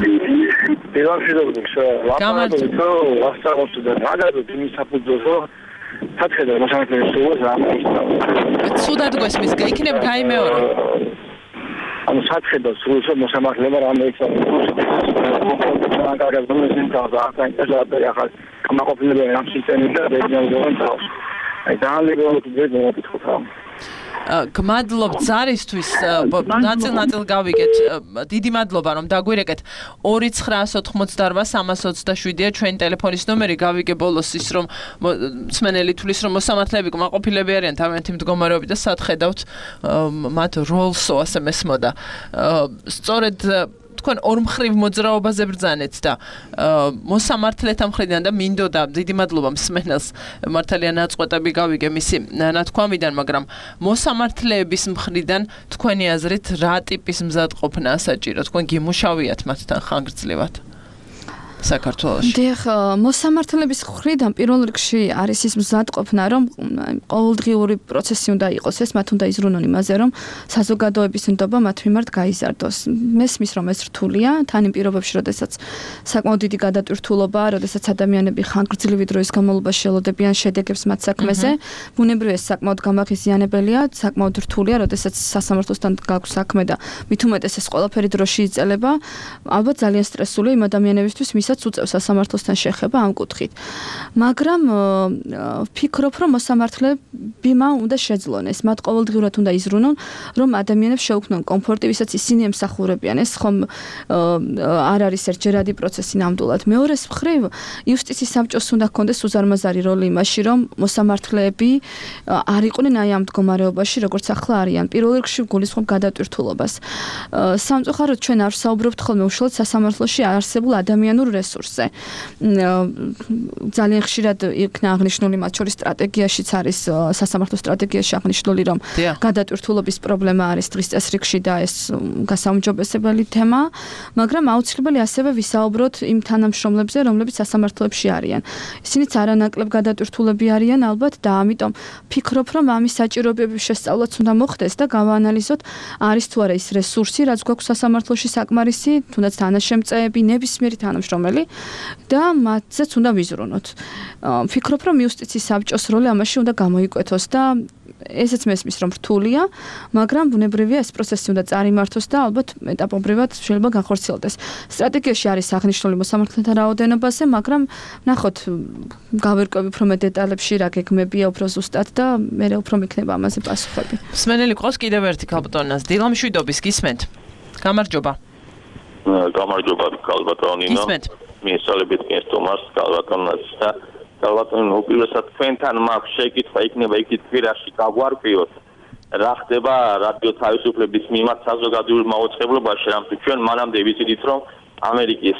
დილა მშვიდობის, ლაპარაკობთ, ვასწავლობთ და მაგალითად იმის საფუძველზე სახედა მოსამართლეებს სულს ამის. სუდად გვესმის, იქნებ გაიმეორო. ანუ სახედა სულს მოსამართლეება რამეიცა მაგალითად მომენტი და ახლა ახლა კამაყოფილება ამ სისტემით და რეგიონალურ თავს. აი ძალიან გიგო გმადლობ ზარისთვის, ნაწილ-ნაწილ გავიგეთ. დიდი მადლობა რომ დაგვირეკეთ. ორი ცხრაას ოთხმოცდაოთხ სამას ოცდაშვიდია ჩვენი ტელეფონის ნომერი, გავიგე ბოლოს ის რომ მსმენელი თulis რომ მოსამართლეები კმაყოფილები არიან თავიანთი მდგომარეობით და სად ხედავთ მათ როლსო ასე მესმოდა. სწორედ თქვენ ორმხრივ მოძრაობაზე ბრძანეთ და მოსამართლეთა მხრიდან და მინდოდა დიდი მადლობა მსმენელს მართალია ნაწყვეტები გავიგე მისი ნათქვამიდან, მაგრამ მოსამართლეების მხრიდან თქვენი აზრით რა ტიპის მზადყოფნა საჭირო? თქვენ გიმუშავიათ მათთან ხანგრძლივად საქართველოში. დიახ, მოსამართლეების მხრიდან პირველ რიგში არის ის მზადყოფნა, რომ ყოველდღიური პროცესი უნდა იყოს, ეს მათ უნდა იზრუნონ იმაზე, რომ საზოგადოების ნდობა მათ მიმართ გაიზარდოს. მესმის, რომ ეს რთულია, თან იმ პირობებში, როდესაც საკმაოდ დიდი გადატვირთულობა, როდესაც ადამიანები ხანგრძლივი დროის განმავლობაში ელოდებიან შედეგებს მათ საქმეზე, ბუნებრივია ეს საკმაოდ გამაღიზიანებელია, საკმაოდ რთულია, როდესაც სასამართლოსთან გაქვს საქმე და მით უმეტეს ეს ყველაფერი დროში იწყება, ალბათ ძალიან სტრესულია იმ ადამიანებისთვის, ვისაც უწევს სასამართლოსთან შეხება ამ კუთხით. მაგრამ ვფიქრობ, რომ მოსამართლებმა უნდა შეძლონ ეს, მათ ყოველდღიურად უნდა იზრუნონ, რომ ადამიანებს შეუქმნონ კომფორტი, ვისაც ისინი ემსახურებიან. ეს ხომ არ არის ერთჯერადი პროცესი ნამდვილად. მეორეს მხრივ, იუსტიციის საბჭოს უნდა ჰქონდეს უზარმაზარი როლი იმაში, რომ მოსამართლეები არ იყვნენ აი ამ მდგომარეობაში, როგორც ახლა არიან. პირველ რიგში გულისხმობ გადატვირთულობას. სამწუხაროდ ჩვენ არ ვსაუბრობთ ხოლმე უშუალოდ სასამართლოში არსებულ ადამიანურ რესურსზე. ძალიან ხშირად იქნა აღნიშნული მათ შორის სტრატეგიაშიც არის სასამართლო სტრატეგიაში აღნიშნული, რომ გადატვირთულობის პრობლემა არის დღის წესრიგში და ეს გასაუმჯობესებელი თემა, მაგრამ აუცილებელი ასევე ვისაუბროთ იმ თანამშრომლებზე, რომლებიც სასამართლოებში არიან. ისინიც არანაკლებ გადატვირთულები არიან ალბათ და ამიტომ ფიქრობ, რომ ამის საჭიროებების შესწავლაც უნდა მოხდეს და გავაანალიზოთ, არის თუ არა ის რესურსი, რაც გვაქვს სასამართლოში საკმარისი, თუნდაც თანაშემწეები, ნებისმიერი თანამშრომელი და მათზეც უნდა ვიზრუნოთ. ვფიქრობ, რომ იუსტიციის საბჭოს როლი ამაში უნდა გამოიკვეთოს და ესეც მესმის, რომ რთულია, მაგრამ ბუნებრივია ეს პროცესი უნდა წარიმართოს და ალბათ ეტაპობრივად შეიძლება განხორციელდეს. სტრატეგიაში არის აღნიშნული მოსამართლეთა რაოდენობაზე, მაგრამ ნახოთ, გავერკვევი უფრო მეტ დეტალებში რა გეგმებია უფრო ზუსტად და მე უფრო მიქნება ამაზე პასუხები. მსმენელი ყავს კიდევ ერთი ქალბატონას, დილა მშვიდობის, გისმენთ? გამარჯობა. გამარჯობა ქალბატონინო. მიესალმებით კესტომას ქალბატონას და ქალბატონო უპირველესად თქვენთან მაქვს შეკითხვა იქნება იქ თვირაში გავარკვიოთ რა ხდება რადიო თავისუფლების მიმართ საზოგადოებრივ მაუწყებლობაში, რამე ჩვენ მანამდე ვიცით რომ ამერიკის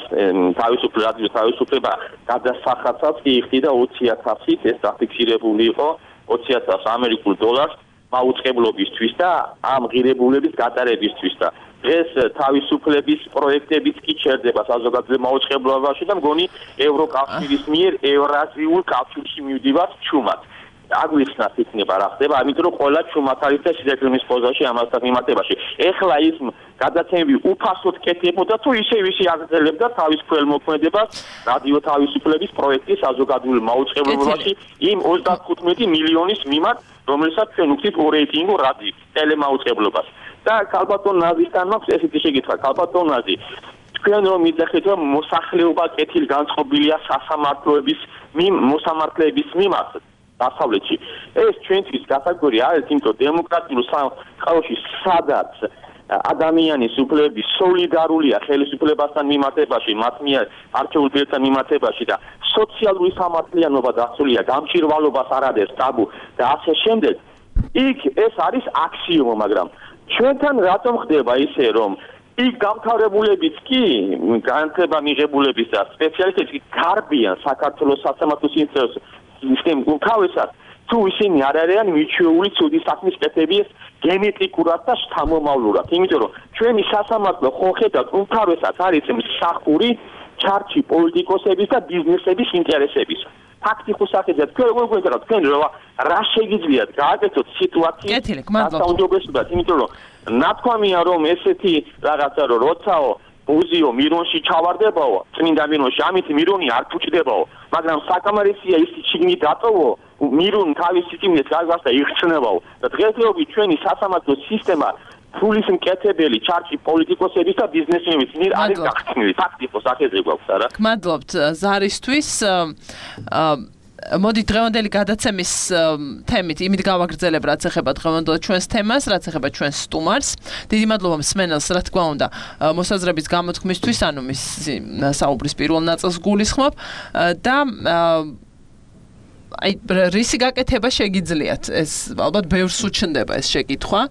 თავისუფლება რადიო თავისუფლება გადასახადსაც კი იხდიდა ოცი ათასით, ეს დაფიქსირებული იყო ოცი ათას ამერიკულ დოლარს მაუწყებლობისთვის და ამ ღირებულების გატარებისთვის და დღეს თავისუფლების პროექტებიც კი ჩერდება საზოგადოებრივ მაუწყებლობაში და მგონი ევროკავშირის მიერ ევრაზიულ კავშირში მივდივართ ჩუმად. აგვიხსნათ იქნება რა ხდება, ამიტომ რომ ყველა ჩუმად არის და სიძებნის პოზაში ამასთან მიმართებაში. ეხლა ის გადაცემები უფასოდ კეთებოდა თუ ისევ ისე აგრძელებდა თავის ქველმოქმედებას რადიო თავისუფლების პროექტის საზოგადოებრივ მაუწყებლობაში იმ ოცდახუთმეტი მილიონის მიმართ, რომელსაც ჩვენ ვუხდით ორეიტინგო რადიო ტელემაუწყებლობას. და ქალბატონ ნაზისთან მაქვს ესეთი შეკითხვა, ქალბატონ ნაზი, თქვენ რომ მიძახით რომ მოსახლეობა კეთილგანწყობილია სასამართლოების მოსამართლეების მიმართ დასავლეთში. ეს ჩვენთვის კატეგორია არის, იმიტომ დემოკრატიულ სამყაროში სადაც ადამიანის უფლებები სოლიდარულია ხელისუფლებასთან მიმართებაში, მათ მიერ არჩეულ პირთან მიმართებაში და სოციალური სამართლიანობა დაცულია, გამჭირვალობას არ არის ტაბუ და ასე შემდეგ. იქ ეს არის აქსიომა, მაგრამ ჩვენთან რატომ ხდება ისე, რომ იქ გამთავრებულებიც კი, განათლება მიღებულების და სპეციალისტები გარბიან საქართველოს სასამართლო სისტემის უკავესად, თუ ისინი არ არიან მიჩვეული ცუდი საქმის კეთების გენეტიკურად და შთამომავლურად. იმიტომ რომ ჩვენი სასამართლო ხო ხედავთ, უკავესად არის მსახური ჩარჩი პოლიტიკოსების და ბიზნესების ინტერესების. ფაქტი ხო სახედავთ, თქვენ როგორ გვეძახთ, თქვენ რა შეგიძლიათ გააკეთოთ სიტუაციის გასაუმჯობესებლად, იმიტომ რომ ნათქვამია რომ ესეთი რაღაცა რომ როცაო უზიო მირონში ჩავარდებაო, წმინდა მირონში, ამით მირონი არ ფუჭდებაო, მაგრამ საკამარისია ის ჩიგნი დატოვო, მირონ თავის სიტიმეს გაგასდა იხსნებაო. და დღესდღეობით ჩვენი სასამართლო სისტემა ფულის მკეთებელი ჩარჩი პოლიტიკოსების და ბიზნესმენების მიერ არის გახსნილი. ფაქტი ხო სახედრე გვაქვს, არა? გმადლობთ ზარისთვის. მოდით დღევანდელი გადაცემის თემით იმით გავაგრძელებ, რაც ეხება დღევანდელ ჩვენს თემას, რაც ეხება ჩვენს სტუმარს. დიდი მადლობა მსმენელს, რა თქმა უნდა, მოსაზრების გამოთქმისთვის, ანუ მის საუბრის პირველ ნაწილს გულისხმობ და აი რისი გაკეთება შეგიძლიათ ეს ალბათ ბევრს უჩნდება ეს შეკითხვა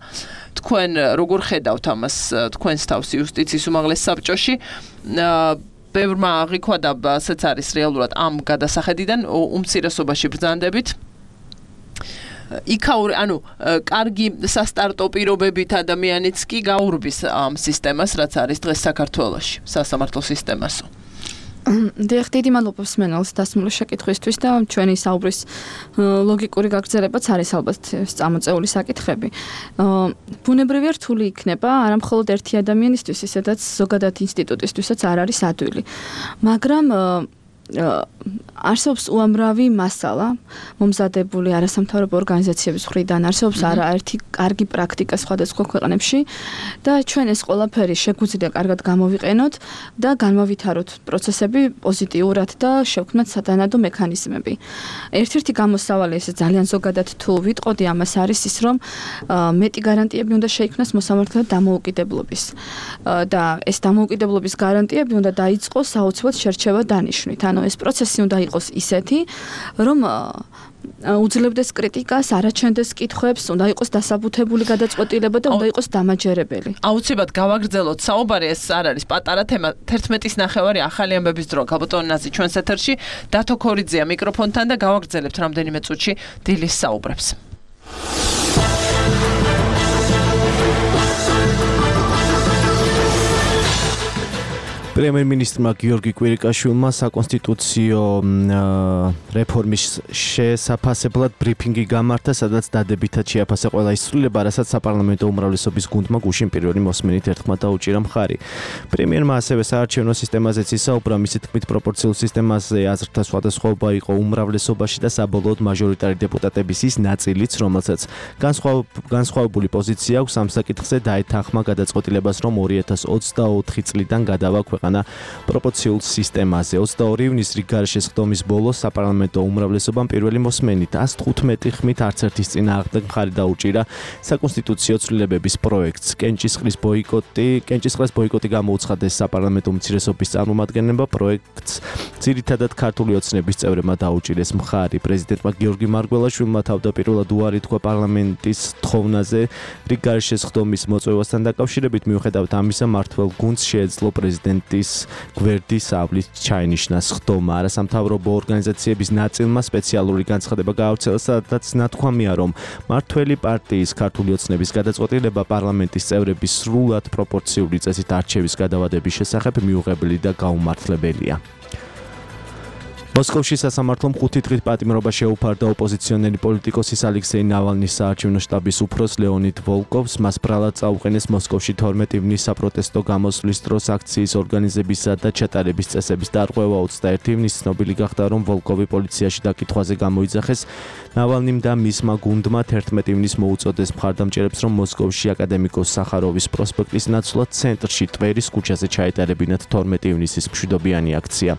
თქვენ როგორ ხედავთ ამას თქვენს თავს იუსტიციის უმაღლეს საბჭოში ბევრმა აღიქვა და ასეც არის რეალურად ამ გადასახედიდან უმცირესობაში ბრძანდებით იქაური ანუ კარგი სასტარტო პირობებით ადამიანიც კი გაურბის ამ სისტემას რაც არის დღეს საქართველოში სასამართლო სისტემასო დიახ, დიდი მადლობა მსმენელს დასმული შეკითხვისთვის და ჩვენი საუბრის ლოგიკური გაგრძელებაც არის ალბათ წამოწეული საკითხები. ბუნებრივია რთული იქნება არა მხოლოდ ერთი ადამიანისთვის, ისედაც ზოგადად ინსტიტუტისთვისაც არ არის ადვილი. მაგრამ არსებობს უამრავი მასალა მომზადებული არასამთავრობო ორგანიზაციების მხრიდან არსებობს არაერთი კარგი პრაქტიკა სხვადასხვა ქვეყნებში და ჩვენ ეს ყველაფერი შეგვიძლია კარგად გამოვიყენოთ და განმავითაროთ პროცესები პოზიტიურად და შევქმნათ სათანადო მექანიზმები. ერთ-ერთი გამოსავალი ეს ძალიან ზოგადად თუ ვიტყოდი ამას არის ის რომ მეტი გარანტიები უნდა შეიქმნას მოსამართლეთა დამოუკიდებლობის და ეს დამოუკიდებლობის გარანტიები უნდა დაიწყოს საოცრად შერჩევა დანიშვნით. ანუ ეს პროცესი უნდა იყოს ისეთი, რომ უძლებდეს კრიტიკას, არაჩენდეს კითხვებს, უნდა იყოს დასაბუთებული გადაწყვეტილება და უნდა იყოს დამაჯერებელი. აუცილებლად გავაგრძელოთ საუბარი, ეს არ არის პატარა თემა, თერთმეტის ნახევარი ახალი ამბების დრო. გაბატონო ნაზი ჩვენს ეთერში, დათო ქორიძეა მიკროფონთან და გავაგრძელებთ რამდენიმე წუთში დილის საუბრებს. პრემიერ-მინისტრმა გიორგი კვირიკაშვილმა საკონსტიტუციო რეფორმის შესაფასებლად ბრიფინგი გამართა, სადაც დადებითად შეაფასა ყველა ის ცვლილება, რასაც საპარლამენტო უმრავლესობის გუნდმა გუშინ პირველი მოსმენით ერთხმა დაუჭირა მხარი. პრემიერმა ასევე საარჩევნო სისტემაზეც ისაუბრა, მისი თქმით პროპორციულ სისტემაზე აზრთა სხვადასხვაობა იყო უმრავლესობაში და საბოლოოდ მაჟორიტარი დეპუტატების ის ნაწილიც, რომელსაც განსხვავებული პოზიცია აქვს ამ საკითხზე, დაეთანხმა გადაწყვეტილებას, რომ ორი ათას ოცდაოთხი წლიდან გადავა ქვეყანა პროპორციულ სისტემაზე. ოცდაორი ივნის რიგგარეშე სხდომის ბოლოს საპარლამენტო უმრავლესობამ პირველი მოსმენით ას თხუთმეტი ხმით არც ერთის წინააღმდეგ მხარი დაუჭირა საკონსტიტუციო ცვლილებების პროექტს. კენჭისყრის ბოიკოტი, კენჭისყრის ბოიკოტი გამოუცხადეს საპარლამენტო უმცირესობის წარმომადგენლებმა, პროექტს ძირითადად ქართული ოცნების წევრებმა დაუჭირეს მხარი. პრეზიდენტმა გიორგი მარგველაშვილმა თავდაპირველად უარი თქვა პარლამენტის თხოვნაზე რიგგარეშე სხდომის მოწვევასთან დაკავშირებით, მიუხედავად ამისა, მმართველ გუნდს შეეძლო პრეზიდენტის გვერდის ავლით ჩაინიშნა სხდომა. არასამთავრობო ორგანიზაციების ნაწილმა სპეციალური განცხადება გაავრცელა, სადაც ნათქვამია, რომ მმართველი პარტიის ქართული ოცნების გადაწყვეტილება პარლამენტის წევრების სრულად პროპორციული წესით არჩევის გადავადების შესახებ მიუღებელი და გაუმართლებელია. მოსკოვში სასამართლომ ხუთი დღით პატიმრობა შეუფარდა ოპოზიციონერი პოლიტიკოსის ალექსეი ნავალნის საარჩევნო შტაბის უფროს ლეონიდ ვოლკოვს. მას ბრალად წაუყენეს მოსკოვში თორმეტი ივნის საპროტესტო გამოსვლის დროს აქციის ორგანიზებისა და ჩატარების წესების დარღვევა. ოცდაერთი ივნის ცნობილი გახდა, რომ ვოლკოვი პოლიციაში დაკითხვაზე გამოიძახეს. ნავალნიმ და მისმა გუნდმა თერთმეტი ივნის მოუწოდეს მხარდამჭერებს, რომ მოსკოვში აკადემიკოს სახაროვის პროსპექტის ნაცვლად ცენტრში ტვერის ქუჩაზე ჩაეტარებინათ თორმეტი ივნისის მშვიდობიანი აქცია.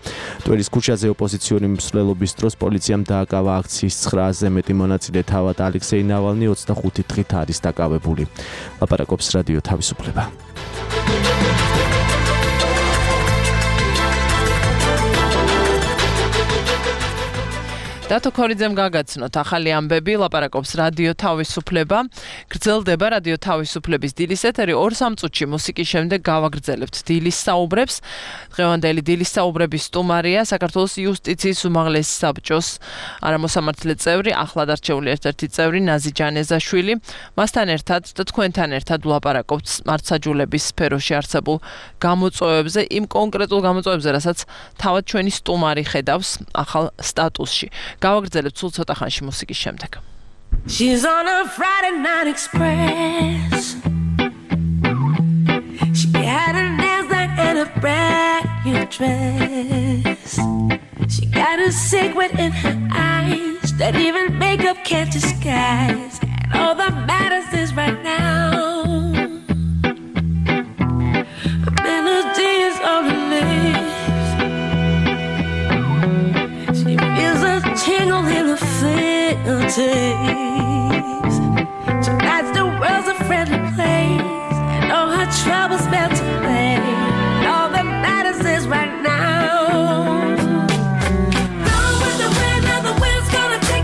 ტვერის ქუჩაზე ოპოზიციონერი მსვლელობის დროს პოლიციამ დააკავა აქციის ცხრა ათასზე მეტი მონაწილე. თავად ალექსეი ნავალნი ოცდახუთი დღით არის დაკავებული. ლაპარაკობს რადიო თავისუფლება. დათო ქორიძემ გაგაცნოთ ახალი ამბები, ლაპარაკობს რადიო თავისუფლება. გრძელდება რადიო თავისუფლების დილის ეთერი. ორ სამ წუთში მუსიკის შემდეგ გავაგრძელებთ დილის საუბრებს. დღევანდელი დილის საუბრების სტუმარია საქართველოს იუსტიციის უმაღლესი საბჭოს არამოსამართლე წევრი, ახლად არჩეული ერთ-ერთი წევრი ნაზი ჯანეზაშვილი. მასთან ერთად და თქვენთან ერთად ვლაპარაკობთ მართლმსაჯულების სფეროში არსებულ გამოწვევებზე, იმ კონკრეტულ გამოწვევებზე, რასაც თავად ჩვენი სტუმარი ხედავს ახალ სტატუსში. გავაგრძელებთ სულ ცოტა ხანში მუსიკის შემდეგ. She's on a Friday night express. She had her nails done and a brand new dress. She got a secret in her eyes that even makeup can't disguise. And all that matters is right now. A melody is on her lips. She feels a tingle in her fingertips. Tonight's the world's a friendly place, and all her troubles melt away. And all that matters is right now. Going with the wind, and the wind's gonna take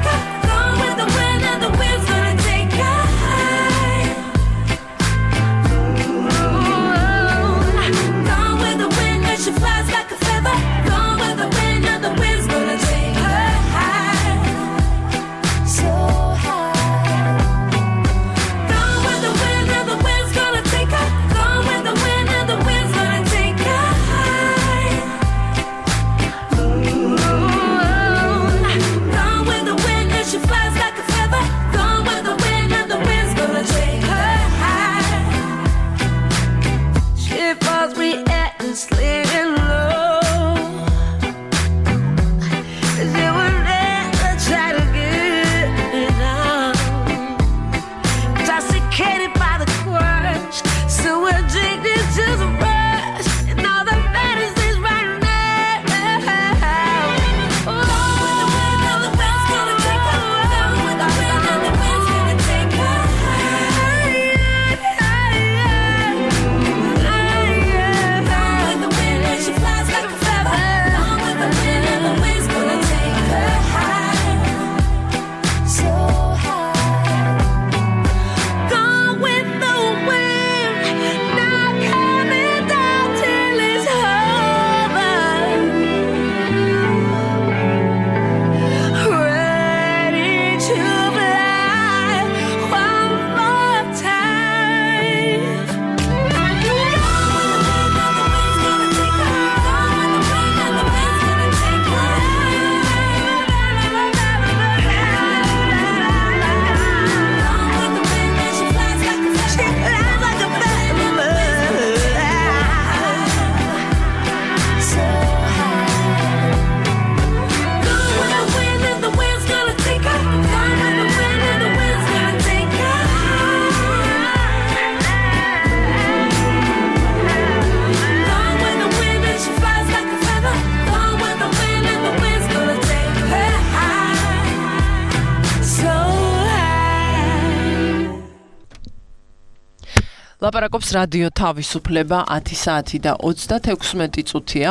ლაპარაკობს რადიო თავისუფლება ათი საათი და ოცდათექვსმეტი წუთია.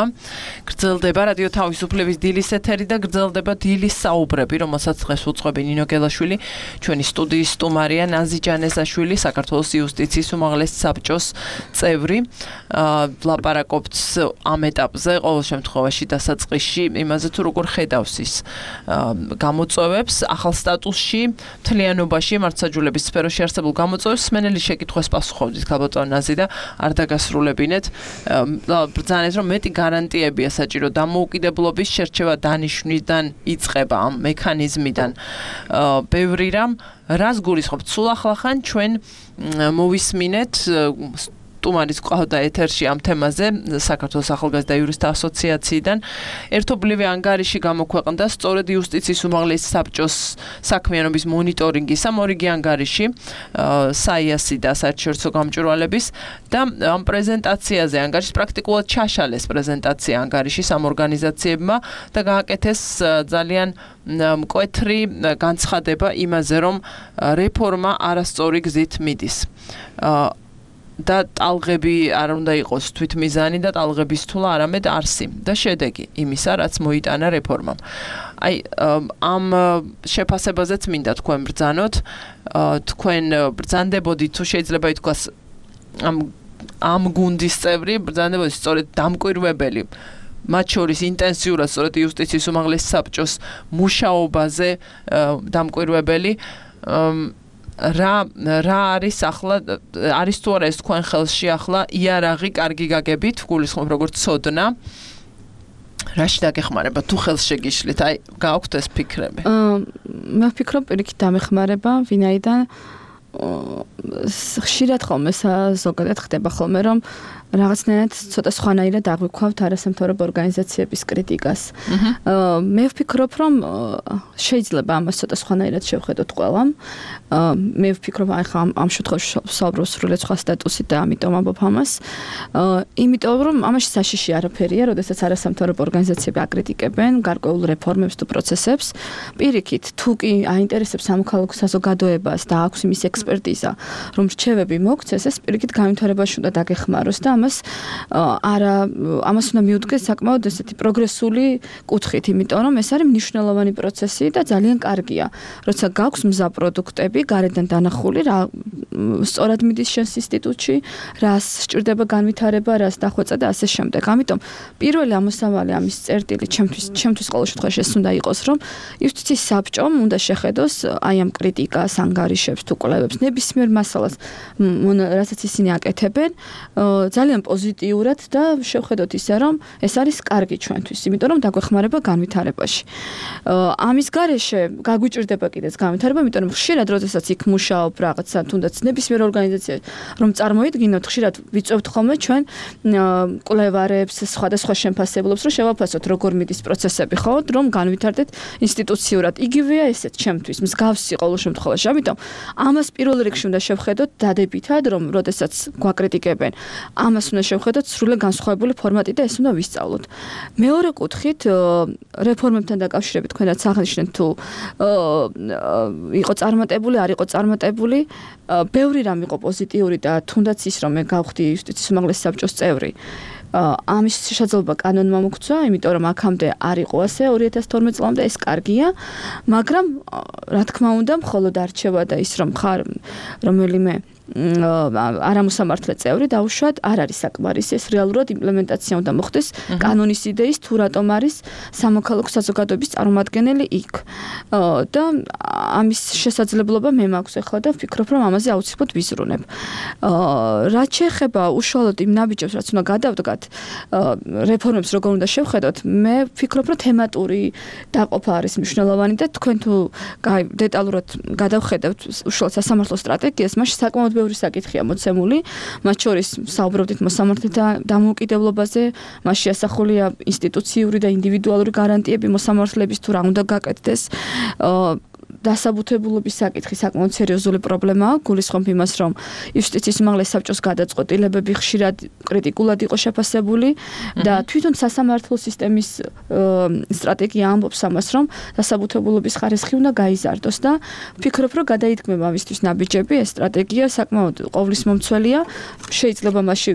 გრძელდება რადიო თავისუფლების დილის ეთერი და გრძელდება დილის საუბრები, რომელსაც დღეს უძღვები ნინო გელაშვილი, ჩვენი სტუდიის სტუმარია ნაზი ჯანესაშვილი, საქართველოს იუსტიციის უმაღლესი საბჭოს წევრი. ლაპარაკობთ ამ ეტაპზე, ყოველ შემთხვევაში დასაწყისში იმაზე თუ როგორ ხედავს ის გამოწვევებს ახალ სტატუსში, მთლიანობაში მართლმსაჯულების სფეროში არსებულ გამოწვევებს სმენელი შეკითხვას პასუხობდით ქალბატონ ნაზი და არ დაგასრულებინეთ. ბრძანეთ რომ მეტი გარანტიებია საჭირო დამოუკიდებლობის შერჩევა დანიშვნიდან იწყება ამ მექანიზმიდან. ბევრი რამ რას გულისხმობთ? სულ ახლახან ჩვენ მოვისმინეთ სტუმარის ყავდა ეთერში ამ თემაზე საქართველოს ახალგაზრდა იურისტთა ასოციაციიდან ერთობლივი ანგარიში გამოქვეყნდა სწორედ იუსტიციის უმაღლესი საბჭოს საქმიანობის მონიტორინგის ამ ორიგი ანგარიში საიასი და საერთაშორისო გამჭვირვალების და ამ პრეზენტაციაზე ანგარიშის პრაქტიკულად ჩაშალეს პრეზენტაცია ანგარიშის ამ ორგანიზაციებმა და გააკეთეს ძალიან მკვეთრი განცხადება იმაზე რომ რეფორმა არასწორი გზით მიდის. და ტალღები არ უნდა იყოს თვითმიზანი და ტალღების თულა არამედ არსი და შედეგი იმისა, რაც მოიტანა რეფორმამ. აი ამ შეფასებაზეც მინდა თქვენ ბრძანოთ, თქვენ ბრძანდებოდით თუ შეიძლება ითქვას ამ ამ გუნდის წევრი ბრძანდებოდით სწორედ დამკვირვებელი მათ შორის ინტენსიურად სწორედ იუსტიციის უმაღლესი საბჭოს მუშაობაზე დამკვირვებელი რა რა არის ახლა არის თუ არა ეს თქვენ ხელში ახლა იარაღი კარგი გაგებით გულისხმობ როგორც ცოდნა რაში დაგეხმარება თუ ხელს შეგიშლით აი გააქვთ ეს ფიქრები მე ვფიქრობ პირიქით დამეხმარება ვინაიდან ხშირად ხოლმე ზოგადად ხდება ხოლმე რომ რაღაცნაირად ცოტა სხვანაირად აღვიქვავთ არასამთავრობო ორგანიზაციების კრიტიკას. მე ვფიქრობ, რომ შეიძლება ამას ცოტა სხვანაირად შევხედოთ ყველამ. მე ვფიქრობ, აი ხა ამ შემთხვევაში საუბრობ სრულიად სხვა სტატუსით და ამიტომ ამბობ ამას. იმიტომ რომ ამაში საშიში არაფერია, როდესაც არასამთავრობო ორგანიზაციები აკრიტიკებენ გარკვეულ რეფორმებს თუ პროცესებს. პირიქით, თუ კი აინტერესებს სამოქალაქო საზოგადოებას და აქვს იმის ექსპერტიზა, რომ რჩევები მოქცეს, ეს პირიქით განვითარებაში უნდა დაგეხმაროს და ამას არა ამას უნდა მიუდგეს საკმაოდ ესეთი პროგრესული კუთხით, იმიტომ რომ ეს არის მნიშვნელოვანი პროცესი და ძალიან კარგია. როცა გაქვს მზა პროდუქტები, გარედან დანახული, რა სწორად მიდის შენს ინსტიტუტში, რას სჭირდება განვითარება, რას დახვეწა და ასე შემდეგ. ამიტომ პირველი ამოსავალი ამის წერტილი ჩემთვის ჩემთვის ყოველ შემთხვევაში ეს უნდა იყოს, რომ იუსტიციის საბჭომ უნდა შეხედოს აი ამ კრიტიკას, ანგარიშებს თუ კვლევებს, ნებისმიერ მასალას, რასაც ისინი აკეთებენ, ძალიან პოზიტიურად და შევხედოთ ისე რომ ეს არის კარგი ჩვენთვის, იმიტომ რომ დაგვეხმარება განვითარებაში. ამის გარეშე გაგვიჭირდება კიდეც განვითარება, იმიტომ რომ ხშირად როდესაც იქ მუშაობ რაღაცა თუნდაც ნებისმიერ ორგანიზაციაში რომ წარმოიდგინოთ, ხშირად ვიწევთ ხოლმე ჩვენ კვლევარებს, სხვადასხვა შემფასებლებს, რომ შევაფასოთ როგორ მიდის პროცესები, ხო, რომ განვითარდეთ ინსტიტუციურად. იგივეა ესეც ჩემთვის, მსგავსი ყოველ შემთხვევაში. ამიტომ ამას პირველ რიგში უნდა შევხედოთ დადებითად, რომ როდესაც გვაკრიტიკებენ ამას უნდა შევხედოთ სრულად განსხვავებული ფორმატი და ეს უნდა ვისწავლოთ. მეორე კუთხით, რეფორმებთან დაკავშირებით თქვენ რაც აღნიშნეთ თუ იყო წარმატებული, არ იყო წარმატებული, ბევრი რამ იყო პოზიტიური და თუნდაც ის რომ მე გავხდი იუსტიციის უმაღლესი საბჭოს წევრი. ამის შესაძლებლობა კანონმა მოგცვა, იმიტომ რომ აქამდე არ იყო ასე ორი ათას თორმეტ წლამდე ეს კარგია, მაგრამ რა თქმა უნდა, მხოლოდ არჩევა და ის რომ ხარ რომელიმე არამოსამართლე წევრი დაუშვათ არ არის საკმარისი, ეს რეალურად იმპლემენტაცია უნდა მოხდეს კანონის იდეის თუ რატომ არის სამოქალაქო საზოგადოების წარმომადგენელი იქ. და ამის შესაძლებლობა მე მაქვს ახლა და ვფიქრობ რომ ამაზე აუცილებლად ვიზრუნებ. რაც შეეხება უშუალოდ იმ ნაბიჯებს, რაც უნდა გადავდგათ, რეფორმებს როგორ უნდა შევხედოთ, მე ვფიქრობ რომ თემატური დაყოფა არის მნიშვნელოვანი და თქვენ თუ დეტალურად გადავხედავთ უშუალოდ სასამართლო სტრატეგიას, მაშინ საკმაოდ ბევრი საკითხია მოცემული, მათ შორის საუბრობდით მოსამართლეთა დამოუკიდებლობაზე, მასში ასახულია ინსტიტუციური და ინდივიდუალური გარანტიები მოსამართლეების თუ რა უნდა გაკეთდეს. დასაბუთებულობის საკითხი საკმაოდ სერიოზული პრობლემაა, გულისხმობ იმას, რომ იუსტიციის უმაღლეს საბჭოს გადაწყვეტილებები ხშირად კრიტიკულად იყო შეფასებული და თვითონ სასამართლო სისტემის სტრატეგია ამბობს ამას, რომ დასაბუთებულობის ხარისხი უნდა გაიზარდოს და ვფიქრობ, რომ გადაითქმება ამისთვის ნაბიჯები, ეს სტრატეგია საკმაოდ ყოვლისმომცველია, შეიძლება მასში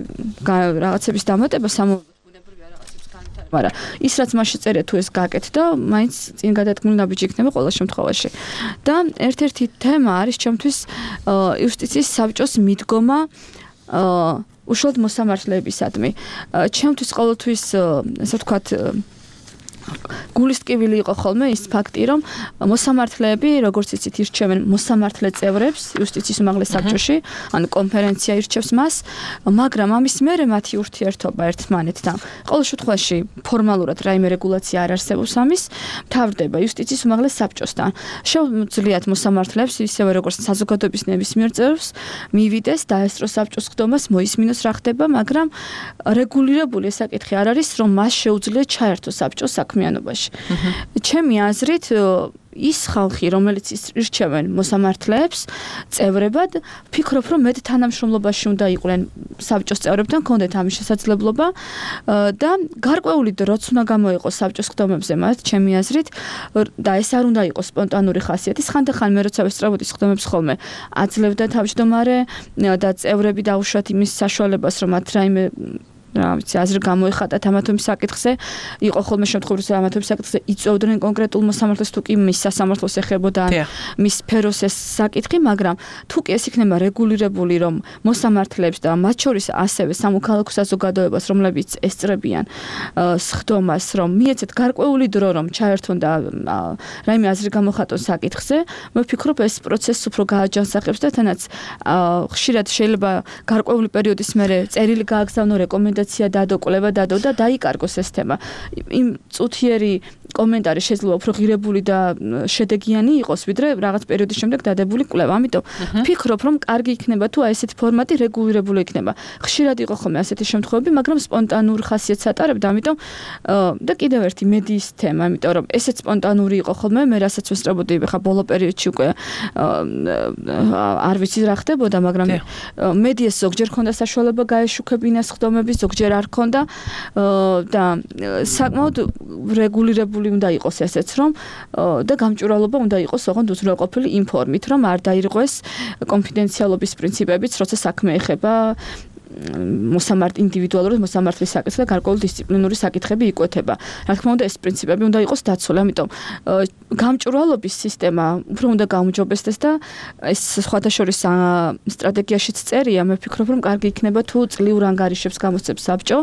რაღაცების დამატება სამომავლობუნებრივი რაღაცებს განვითარება, მაგრამ ის რაც მასში წერია თუ ეს გაკეთდა, მაინც წინ გადადგმული ნაბიჯი იქნება ყოველ შემთხვევაში. და ერთ-ერთი თემა არის ჩემთვის იუსტიციის საბჭოს მიდგომა უშუალოდ მოსამართლეებისადმი. ჩემთვის ყოველთვის ასე ვთქვათ გულისტკივილი იყო ხოლმე ის ფაქტი, რომ მოსამართლეები, როგორც იცით, ირჩევენ მოსამართლე წევრებს იუსტიციის უმაღლეს საბჭოში, ანუ კონფერენცია ირჩევს მას, მაგრამ ამის მერე მათი ურთიერთობა ერთმანეთთან. ყოველ შემთხვევაში ფორმალურად რაიმე რეგულაცია არ არსებობს ამის, მთავრდება იუსტიციის უმაღლეს საბჭოსთან. შეუძლიათ მოსამართლეებს, ისევე როგორც საზოგადოების ნებისმიერ წევრს, მივიდეს დაესწროს საბჭოს ხდომას, მოისმინოს რა ხდება, მაგრამ რეგულირებული ეს საკითხი არ არის, რომ მას შეუძლია ჩაერთოს საბჭოს საქმიანობაში. ჩემი აზრით ის ხალხი, რომელიც ირჩევენ მოსამართლეებს წევრებად, ვფიქრობ, რომ მეტ თანამშრომლობაში უნდა იყვნენ საბჭოს წევრებთან, ქონდეთ ამის შესაძლებლობა და გარკვეული დროც უნდა გამოიყოს საბჭოს ხდომებზე მათ, ჩემი აზრით, და ეს არ უნდა იყოს სპონტანური ხასიათის. ხანდახან მე როცა ვესწრებოდი ხდომებს ხოლმე, აძლევდა თავმჯდომარე და წევრები დაუშვათ იმის საშუალებას, რომ მათ რაიმე რა ვიცი, აზრი გამოიხატათ ამათობის საკითხზე, იყო ხოლმე შემთხვევები, რომ ამათობის საკითხზე იწვევდნენ კონკრეტულ მოსამართლეს თუ კი მის სასამართლოს ეხებოდა მის სფეროს ეს საკითხი, მაგრამ თუ კი ეს იქნება რეგულირებული, რომ მოსამართლეებს და მათ შორის ასევე სამოქალაქო საზოგადოებას, რომლებიც ესწრებიან სხდომას, რომ მიეცეთ გარკვეული დრო, რომ ჩაერთონ და რაიმე აზრი გამოხატონ საკითხზე, მე ვფიქრობ, ეს პროცესს უფრო გააჯანსაღებს და თანაც ხშირად შეიძლება გარკვეული პერიოდის მერე წერილი გააგზავნო რეკომენდაცია დადო, კვლევა დადო და დაიკარგოს ეს თემა. იმ წუთიერი კომენტარი შეიძლება უფრო ღირებული და შედეგიანი იყოს, ვიდრე რაღაც პერიოდის შემდეგ დადებული კვლევა. ამიტომ ვფიქრობ, რომ კარგი იქნება თუ აი ესეთი ფორმატი რეგულირებული იქნება. ხშირად იყო ხოლმე ასეთი შემთხვევები, მაგრამ სპონტანურ ხასიათს ატარებდა, ამიტომ და კიდევ ერთი მედიის თემა, ამიტომ რომ ესეც სპონტანური იყო ხოლმე, მე რასაც ვესწრებოდი, ხა ბოლო პერიოდში უკვე არ ვიცი რა ხდებოდა, მაგრამ მედიას ზოგჯერ ჰქონდა საშუალება გაეშუქებინას ხდომები, ზოგჯერ არ ჰქონდა და საკმაოდ რეგულირებული უნდა იყოს ესეც, რომ და გამჭვირვალობა უნდა იყოს ოღონდ უზრუნველყოფილი იმ ფორმით, რომ არ დაირღვეს კონფიდენციალობის პრინციპებიც, როცა საქმე ეხება მოსამართ ინდივიდუალურად მოსამართლის საკითხს და გარკვეული დისციპლინური საკითხები იკვეთება. რა თქმა უნდა, ეს პრინციპები უნდა იყოს დაცული, ამიტომ გამჭვირვალობის სისტემა უფრო უნდა გაუმჯობესდეს და ეს სხვათა შორის სტრატეგიაშიც წერია, მე ვფიქრობ, რომ კარგი იქნება თუ წლიურ ანგარიშებს გამოსცემს საბჭო.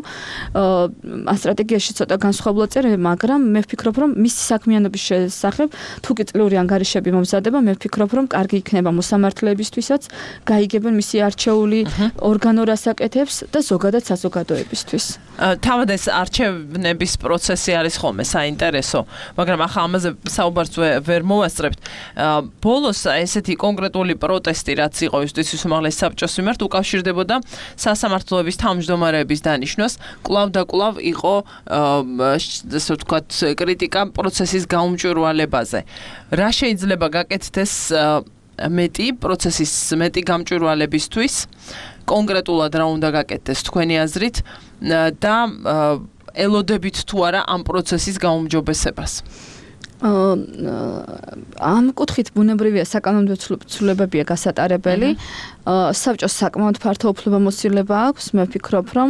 ამ სტრატეგიაში ცოტა განსხვავებულად წერია, მაგრამ მე ვფიქრობ, რომ მისი საქმიანობის შესახებ თუ კი წლიური ანგარიშები მომზადება, მე ვფიქრობ, რომ კარგი იქნება მოსამართლეებისთვისაც, გაიგებენ მისი არჩეული ორგანო რასაკეთებს და ზოგადად საზოგადოებისთვის. თავად ეს არჩევნების პროცესი არის ხოლმე საინტერესო, მაგრამ ახლა ამაზე საუბარს ვერ მოვასწრებთ. ბოლოს ესეთი კონკრეტული პროტესტი, რაც იყო იუსტიციის უმაღლეს საბჭოს მიმართ, უკავშირდებოდა სასამართლოების თავმჯდომარეების დანიშვნას. კვლავ და კვლავ იყო ასე ვთქვათ კრიტიკა პროცესის გაუმჭვირვალებაზე. რა შეიძლება გაკეთდეს მეტი პროცესის მეტი გამჭვირვალებისთვის? კონკრეტულად რა უნდა გაკეთდეს თქვენი აზრით და ელოდებით თუ არა ამ პროცესის გაუმჯობესებას? ამ კუთხით ბუნებრივია საკანონმდებლო ცვლილებებია გასატარებელი. საბჭოს საკმაოდ ფართო უფლებამოსილება აქვს. მე ვფიქრობ, რომ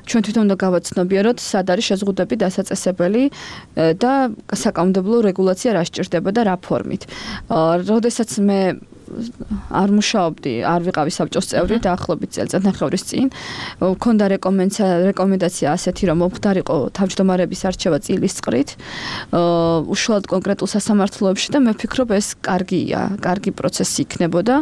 ჩვენ თვითონ უნდა გავაცნობიეროთ, სად არის შეზღუდვები დასაწესებელი და საკანონმდებლო რეგულაცია რა სჭირდება და რა ფორმით. როდესაც მე არ მუშაობდი, არ ვიყავი საბჭოს წევრი დაახლოებით წელიწადნახევრის წინ. მქონდა რეკომენდაცია ასეთი, რომ მომხდარიყო თავმჯდომარეების არჩევა წილის წყრით, უშუალოდ კონკრეტულ სასამართლოებში და მე ვფიქრობ, ეს კარგია, კარგი პროცესი იქნებოდა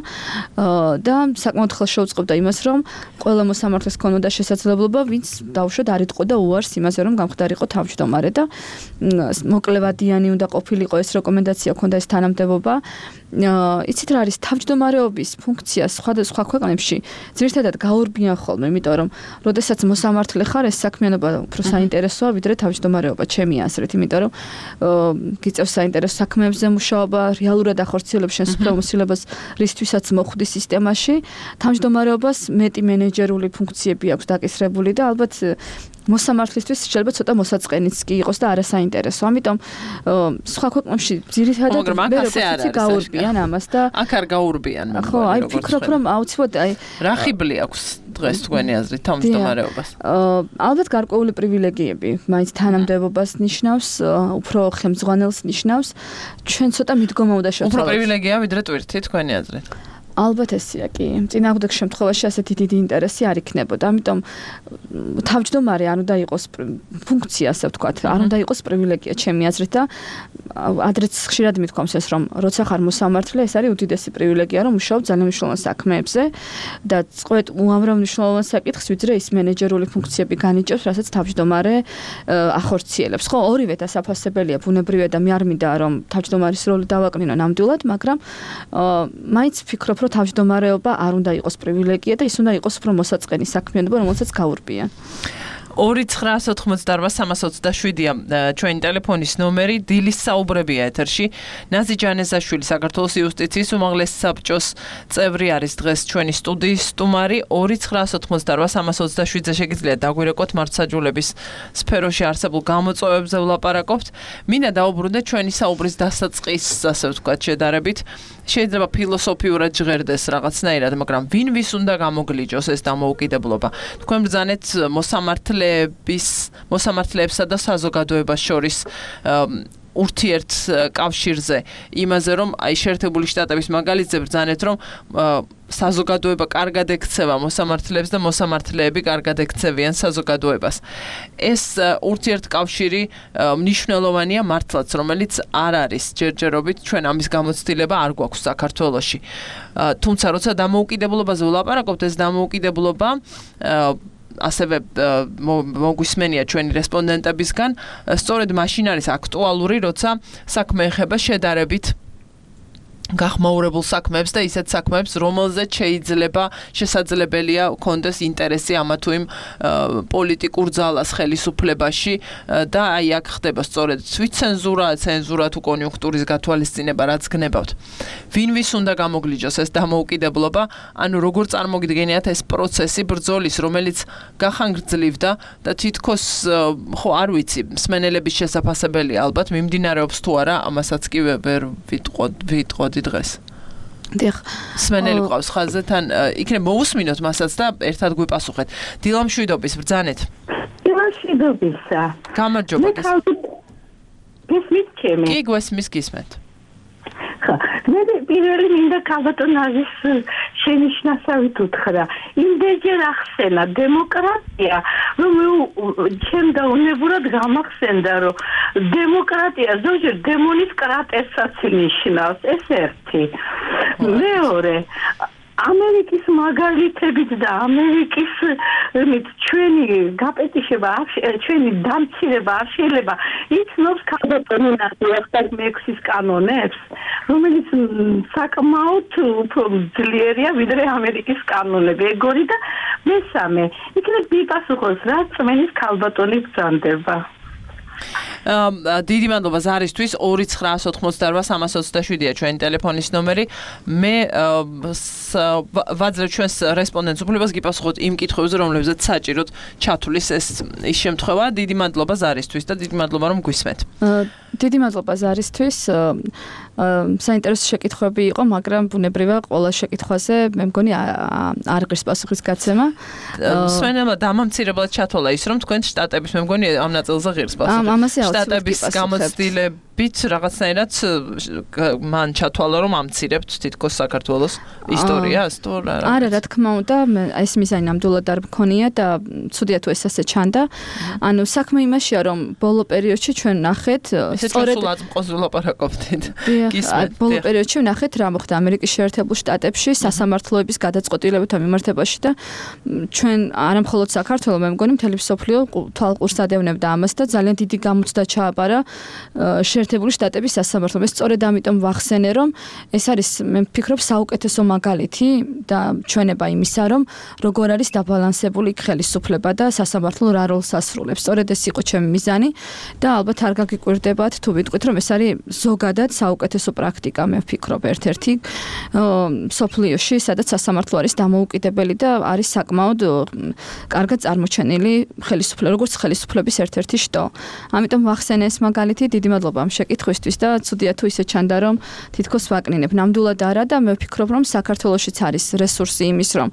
და საკმაოდ ხელს შეუწყობდა იმას, რომ ყველა მოსამართლეს ქონოდა შესაძლებლობა, ვინც დაუშვათ არ იტყოდა უარს იმაზე, რომ გამხდარიყო თავმჯდომარე და მოკლევადიანი უნდა ყოფილიყო ეს რეკომენდაცია, ქონდა ეს თანამდებობა. იცით რა არის თავმჯდომარეობის ფუნქციას სხვადასხვა ქვეყნებში ძირითადად გაურბიან ხოლმე, იმიტომ რომ როდესაც მოსამართლე ხარ, ეს საქმიანობა უფრო საინტერესოა, ვიდრე თავმჯდომარეობა, ჩემი აზრით, იმიტომ რომ გიწევს საინტერესო საქმეებზე მუშაობა, რეალურად ახორციელებს შენს უფლებამოსილებას, რისთვისაც მოხვდი სისტემაში. თავმჯდომარეობას მეტი მენეჯერული ფუნქციები აქვს დაკისრებული და ალბათ მოსამართლისთვის შეიძლება ცოტა მოსაწყენიც კი იყოს და არასაინტერესო. ამიტომ სხვა ქვეყნებში ძირითადად მე გაურბიან ამას და აქ არ გაურბიან. ხო, აი ვფიქრობ რომ აუცილებლად აი რა ხიბლი აქვს დღეს თქვენი აზრით თავმჯდომარეობას? ალბათ გარკვეული პრივილეგიები, მაინც თანამდებობას ნიშნავს, უფრო ხელმძღვანელს ნიშნავს. ჩვენ ცოტა მიდგომა უნდა შევცვალოთ. უფრო პრივილეგია ვიდრე ტვირთი თქვენი აზრით? ალბათ ესეა კი. წინააღმდეგ შემთხვევაში ასეთი დიდი ინტერესი არ იქნებოდა. ამიტომ თავმჯდომარე არ უნდა იყოს ფუნქცია, ასე ვთქვათ, არ უნდა იყოს პრივილეგია ჩემი აზრით და ადრეც ხშირად მithქვამს ეს რომ როცა ხარ მოსამართლე, ეს არის უდიდესი პრივილეგია რომ მუშაობ ძალიან მნიშვნელოვან საქმეებზე და წყვეტ უამრავ მნიშვნელოვან საკითხს, ვიდრე ის მენეჯერული ფუნქციები განიჭებს, რასაც თავმჯდომარე ახორციელებს. ხო, ორივე დასაფასებელია ბუნებრივია და მე არ მინდა რომ თავმჯდომარის როლი დავაკნინო ნამდვილად, მაგრამ მაინც ვფიქრობ რომ თავმჯდომარეობა არ უნდა იყოს პრივილეგია და ის უნდა იყოს უფრო მოსაწყენი საქმიანობა, რომელსაც გაურბიან. ორი ცხრა ოთხმოცდაოთხ სამას ოცდაშვიდია ჩვენი ტელეფონის ნომერი, დილის საუბრებია ეთერში. ნაზი ჯანეზაშვილი საქართველოს იუსტიციის უმაღლეს საბჭოს წევრი არის დღეს ჩვენი სტუდიის სტუმარი. ორი ცხრა ოთხმოცდაოთხ სამას ოცდაშვიდზე შეგიძლიათ დაგვირეკოთ მართლმსაჯულების სფეროში არსებულ გამოწვევებზე ვლაპარაკობთ. მინდა დაუბრუნდეთ ჩვენი საუბრის დასაწყის, ასე ვთქვათ, შედარებით. შეიძლება ფილოსოფიურად ჟღერდეს რაღაცნაირად, მაგრამ ვინ ვის უნდა გამოგლიჯოს ეს დამოუკიდებლობა? თქვენ ბრძანეთ მოსამართლეების, მოსამართლეებსა და საზოგადოებას შორის ურთიერთ კავშირზე, იმაზე რომ აი შეერთებული შტატების მაგალითზე ბრძანეთ რომ საზოგადოება კარგად ექცევა მოსამართლეებს და მოსამართლეები კარგად ექცევიან საზოგადოებას. ეს ურთიერთკავშირი მნიშვნელოვანია მართლაც, რომელიც არ არის ჯერჯერობით, ჩვენ ამის გამოცდილება არ გვაქვს საქართველოში. თუმცა როცა დამოუკიდებლობაზე ვლაპარაკობთ, ეს დამოუკიდებლობა ასევე მოგვისმენია ჩვენი რესპონდენტებისგან, სწორედ მაშინ არის აქტუალური, როცა საქმე ეხება შედარებით გახმაურებულ საქმეებს და ისეთ საქმეებს, რომელზეც შეიძლება შესაძლებელია კონდეს ინტერესი ამა თუ იმ პოლიტიკურ ძალას ხელისუფლებაში და აი აქ ხდება სწორედ თვითცენზურა, ცენზურა თუ კონიუნქტურის გათვალისწინება, რაც გნებავთ. ვინ ვის უნდა გამოგლიჯოს ეს დამოუკიდებლობა, ანუ როგორ წარმოგიდგენიათ ეს პროცესი ბრძოლის, რომელიც გახანგრძლივდა და თითქოს ხო არ ვიცი, მსმენელების შესაძლებელია ალბათ მიმდინარეობს თუ არა, ამასაც კი ვერ ვიტყოდი დღეს. დიახ. სმენელი ყავს ხაზზე, თან იქნებ მოусმინოთ მასაც და ერთად გვიპასუხეთ. დილამშვიდობის ბრძანეთ. დილამშვიდობისა. გამარჯობა. გესმით ჩემი? კი, გვესმის გისმენთ. ხა, მე პირველი მინდა ქალბატონ აზის შენიშვნასავით უთხრა. იმდენჯერ ახსენა დემოკრატია, რომ ჩემ დაუნებურად გამახსენდა, რომ დემოკრატია ზოგჯერ დემონის კრატერსაც ნიშნავს, ეს ერთი. მეორე, ამერიკის მაგალითებით და ამერიკის ჩვენი გაპეტიშება, ჩვენი დამცირება არ შეიძლება იცნობს ქალბატონი ნახევარ მეექვსის კანონებს, რომელიც საკმაოდ უფრო ძლიერია ვიდრე ამერიკის კანონები. ეგორი და მესამე, იქნებ მიპასუხოს რა წმენის ქალბატონი ბრძანდება. დიდი მადლობა ზარისთვის. ორი ცხრა ოთხმოცდაოთხ სამას ოცდაშვიდია ჩვენი ტელეფონის ნომერი. მე ვაძლევ ჩვენს რესპონდენტს უფლებას გიპასუხოთ იმ კითხვებზე, რომლებზეც საჭიროდ ჩათვლის ეს ის შემთხვევა. დიდი მადლობა ზარისთვის და დიდი მადლობა რომ გვისმენთ. დიდი მადლობა ზარისთვის. საინტერესო შეკითხვები იყო, მაგრამ ბუნებრივია ყველა შეკითხვაზე მე მგონი არ ღირს პასუხის გაცემა. მსმენელმა დამამცირებლად ჩათვალა ის, რომ თქვენ შტატების მე მგონი ამ ნაწილზე ღირს პასუხი. შტატების გამოცდილებით რაღაცნაირად მან ჩათვალა, რომ ამცირებთ თითქოს საქართველოს ისტორიას, თუ რა. არა, რა თქმა უნდა, ეს მიზანი ნამდვილად არ მქონია და ცუდია თუ ეს ასე ჩანდა. ანუ საქმე იმაშია, რომ ბოლო პერიოდში ჩვენ ნახეთ სწორედ სულ აწმყოს ვლაპარაკობთ. ბოლო პერიოდში ვნახეთ რა მოხდა ამერიკის შეერთებულ შტატებში სასამართლოების გადაწყვეტილებათა მიმართებაში და ჩვენ არამხოლოდ საქართველოს, მე მგონი მთელი მსოფლიო თვალყურს ადევნებდა ამას და ძალიან დიდი გამოცდა ჩააბარა შეერთებული შტატების სასამართლომ. ეს სწორედ ამიტომ ვახსენე, რომ ეს არის მე ვფიქრობ საუკეთესო მაგალითი და ჩვენება იმისა, რომ როგორ არის დაბალანსებული ხელისუფლება და სასამართლო რა როლს ასრულებს. სწორედ ეს იყო ჩემი მიზანი და ალბათ არ გაგიკვირდებათ თუ ვიტყვით, რომ ეს არის ზოგადად საუკეთესო პრაქტიკა, მე ვფიქრობ ერთ-ერთი სოფლიოში, სადაც სასამართლო არის დამოუკიდებელი და არის საკმაოდ კარგად წარმოჩენილი ხელისუფლება, როგორც ხელისუფლების ერთ-ერთი შტო. ამიტომ ვახსენე ეს მაგალითი, დიდი მადლობა ამ შეკითხვისთვის და ცუდია თუ ისე ჩანდა, რომ თითქოს ვაკნინებ. ნამდვილად არა და მე ვფიქრობ, რომ საქართველოშიც არის რესურსი იმის, რომ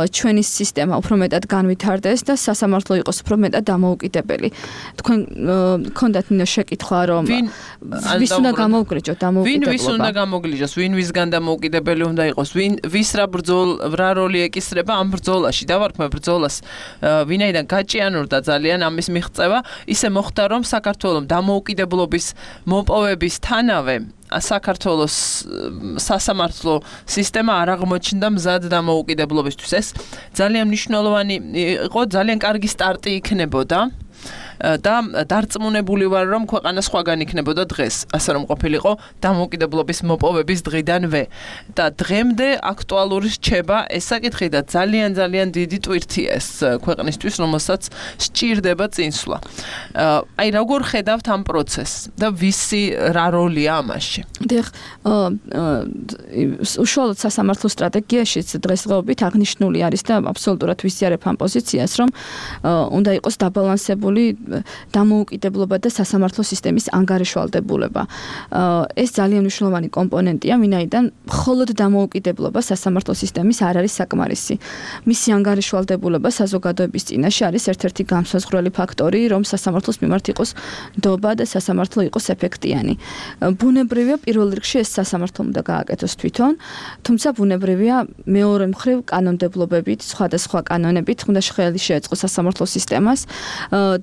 ჩვენი სისტემა უფრო მეტად განვითარდეს და სასამართლო იყოს უფრო მეტად დამოუკიდებელი. თქვენ გქონდათ ნინო შეკითხვა, რომ ვის უნდა გამოუგრიჯოთ დამოუკიდებლობა? ვინ ვის უნდა გამოგლიჯოს, ვინ ვისგან დამოუკიდებელი უნდა იყოს, ვინ ვის რა ბრძოლ რა როლი ეკისრება ამ ბრძოლაში? დავარქმე ბრძოლას, ვინაიდან გაჭიანურდა ძალიან ამის მიღწევა, ისე მოხდა, რომ საქართველოს დამოუკიდებლობის მოპოვების თანავე საქართველოს სასამართლო სისტემა არ აღმოჩნდა მზად დამოუკიდებლობისთვის. ეს ძალიან მნიშვნელოვანი იყო, ძალიან კარგი სტარტი იქნებოდა. და დარწმუნებული ვარ, რომ ქვეყანა სხვაგან იქნებოდა დღეს, ასე რომ ყოფილიყო დამოუკიდებლობის მოპოვების დღიდანვე. და დღემდე აქტუალური რჩება ეს საკითხი და ძალიან ძალიან დიდი ტვირთია ეს ქვეყნისთვის, რომელსაც სჭირდება წინსვლა. აი, როგორ ხედავთ ამ პროცესს და ვისი რა როლია ამაში? დიახ, უშუალოდ სასამართლო სტრატეგიაშიც დღესდღეობით აღნიშნული არის და აბსოლუტურად ვიზიარებ ამ პოზიციას, რომ უნდა იყოს დაბალანსებული დამოუკიდებლობა და სასამართლო სისტემის ანგარიშვალდებულება. ეს ძალიან მნიშვნელოვანი კომპონენტია, ვინაიდან მხოლოდ დამოუკიდებლობა სასამართლო სისტემის არ არის საკმარისი. მისი ანგარიშვალდებულება საზოგადოების წინაშე არის ერთ-ერთი განსაზღვრელი ფაქტორი, რომ სასამართლოს მიმართ იყოს ნდობა და სასამართლო იყოს ეფექტიანი. ბუნებრივია პირველ რიგში ეს სასამართლომ უნდა გააკეთოს თვითონ, თუმცა ბუნებრივია მეორე მხრივ კანონმდებლობებით, სხვადასხვა კანონებით უნდა ხელი შეეწყო სასამართლო სისტემას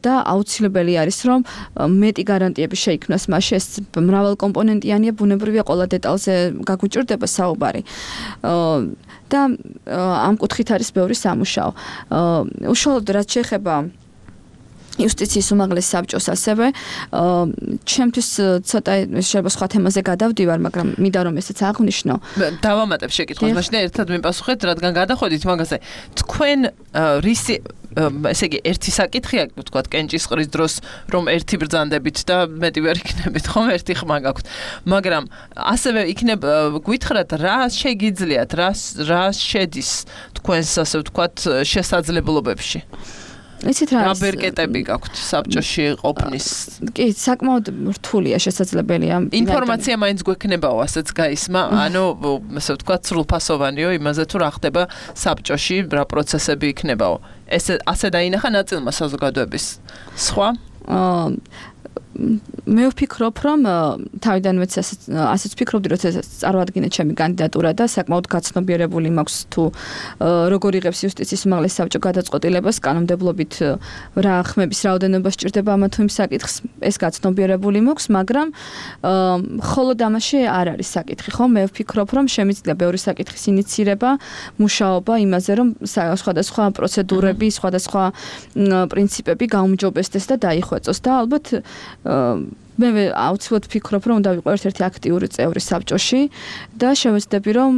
და აუცილებელი არის, რომ მეტი გარანტიები შეიქმნას მასში. ეს მრავალკომპონენტიანია, ბუნებრივია ყველა დეტალზე გაგვიჭირდება საუბარი. და ამ კუთხით არის ბევრი სამუშაო. უშუალოდ რაც შეეხება იუსტიციის უმაღლეს საბჭოს ასევე ჩემთვის ცოტა შეიძლება სხვა თემაზე გადავდივარ, მაგრამ მინდა რომ ესეც აღვნიშნო. დავამატებ შეკითხვას, მაშინ ერთად მიპასუხეთ, რადგან გადახვედით მაგაზე. თქვენ რისი ესე იგი ერთი საკითხია, ვთქვათ, კენჭისყრის დროს, რომ ერთი ბრძანდებით და მეტი ვერ იქნებით, ხომ ერთი ხმა გაქვთ. მაგრამ ასევე იქნებ გვითხრათ, რა შეგიძლიათ, რა რა შედის თქვენს ასე ვთქვათ შესაძლებლობებში? იცით რა არის? რაბერკეტები გაქვთ საბჭოში ყოფნის? კი, საკმაოდ რთულია შესაძლებელია. ინფორმაცია მაინც გვექნებაო, ასეც გაისმა, ანუ ასე ვთქვათ, სრულფასოვანიო იმაზე თუ რა ხდება საბჭოში, რა პროცესები იქნებაო. ეს ასე დაინახა ნაწილმა საზოგადოების. სხვა? მე ვფიქრობ, რომ თავიდანვე ასეც ვფიქრობდი, რომ წარმოადგინე ჩემი კანდიდატურა და საკმაოდ გაცნობიერებული მაქვს თუ როგორ იღებს იუსტიციის უმაღლეს საბჭო გადაწყვეტილებას კანონმდებლობით რა ხმების რაოდენობა სჭირდება ამა თუ იმ საკითხს, ეს გაცნობიერებული მაქვს, მაგრამ მხოლოდ ამაში არ არის საკითხი, ხო? მე ვფიქრობ, რომ შემიძლია ბევრი საკითხის ინიცირება, მუშაობა იმაზე, რომ სხვადასხვა პროცედურები, სხვადასხვა პრინციპები გაუმჯობესდეს და დაიხვეწოს და ალბათ მე აუცილებლად ვფიქრობ, რომ უნდა ვიყო ერთ-ერთი აქტიური წევრი საბჭოში და შევეცდები, რომ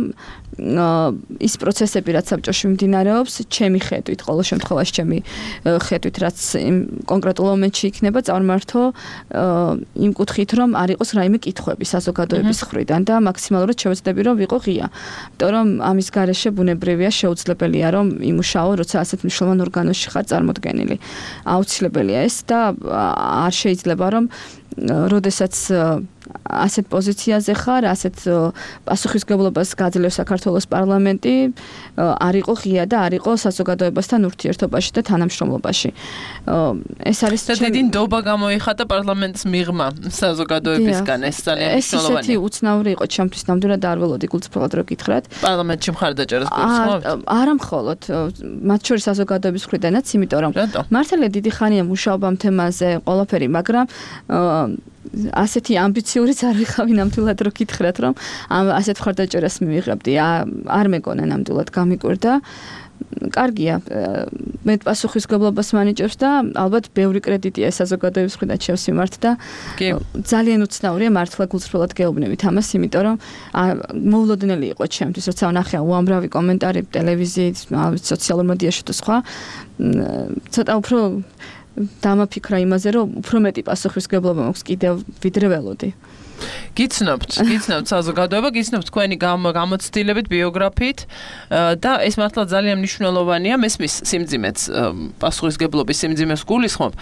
ის პროცესები, რაც საბჭოში მიმდინარეობს, ჩემი ხედვით, ყოველ შემთხვევაში ჩემი ხედვით, რაც კონკრეტულ მომენტში იქნება, წარმართო იმ კუთხით, რომ არ იყოს რაიმე კითხვები საზოგადოების მხრიდან და მაქსიმალურად შევეცდები, რომ ვიყო ღია. იმიტომ რომ ამის გარეშე ბუნებრივია შეუძლებელია, რომ იმუშაო, როცა ასეთ მნიშვნელოვან ორგანოში ხარ წარმოდგენილი. აუცილებელია ეს და არ შეიძლება, რომ როდესაც ასეთ პოზიციაზე ხარ, ასეთ პასუხისმგებლობას გაძლევს საქართველოს პარლამენტი, არ იყო ღია და არ იყო საზოგადოებასთან ურთიერთობაში და თანამშრომლობაში. ეს არის დიდი ნდობა გამოიხატა პარლამენტს მიღმა საზოგადოებისგან, ეს ძალიან მნიშვნელოვანია. ესეთი უცნაური იყო ჩემთვის, ნამდვილად არ ველოდი გულწრფელად რო გითხრათ. პარლამენტში მხარდაჭერას გულისხმობთ? არა მხოლოდ, მათ შორის საზოგადოების მხრიდანაც, იმიტომ რომ მართალია დიდი ხანია მუშაობა ამ თემაზე, ყველაფერი, მაგრამ ასეთი ამბიციურიც არ ვიყავი ნამდვილად რო გითხრათ, რომ ასეთ მხარდაჭერას მივიღებდი. არ მეგონა ნამდვილად გამიკვირდა. კარგია. მე პასუხისმგებლობას მანიჭებს და ალბათ ბევრი კრედიტია საზოგადოების მხრიდან ჩემს მიმართ და ძალიან უცნაურია მართლა გულწრფელად გეუბნებით ამას, იმიტომ რომ მოულოდნელი იყო ჩემთვის, როცა ვნახე უამრავი კომენტარი ტელევიზიით, სოციალურ მედიაში და სხვა. ცოტა უფრო დამაფიქრა იმაზე, რომ უფრო მეტი პასუხისმგებლობა მაქვს კიდევ ვიდრე ველოდი. გიცნობთ, გიცნობთ საზოგადოება, გიცნობთ თქვენი გამოცდილებით, ბიოგრაფიით და ეს მართლა ძალიან მნიშვნელოვანია, მესმის სიმძიმეც, პასუხისმგებლობის სიმძიმეს გულისხმობ,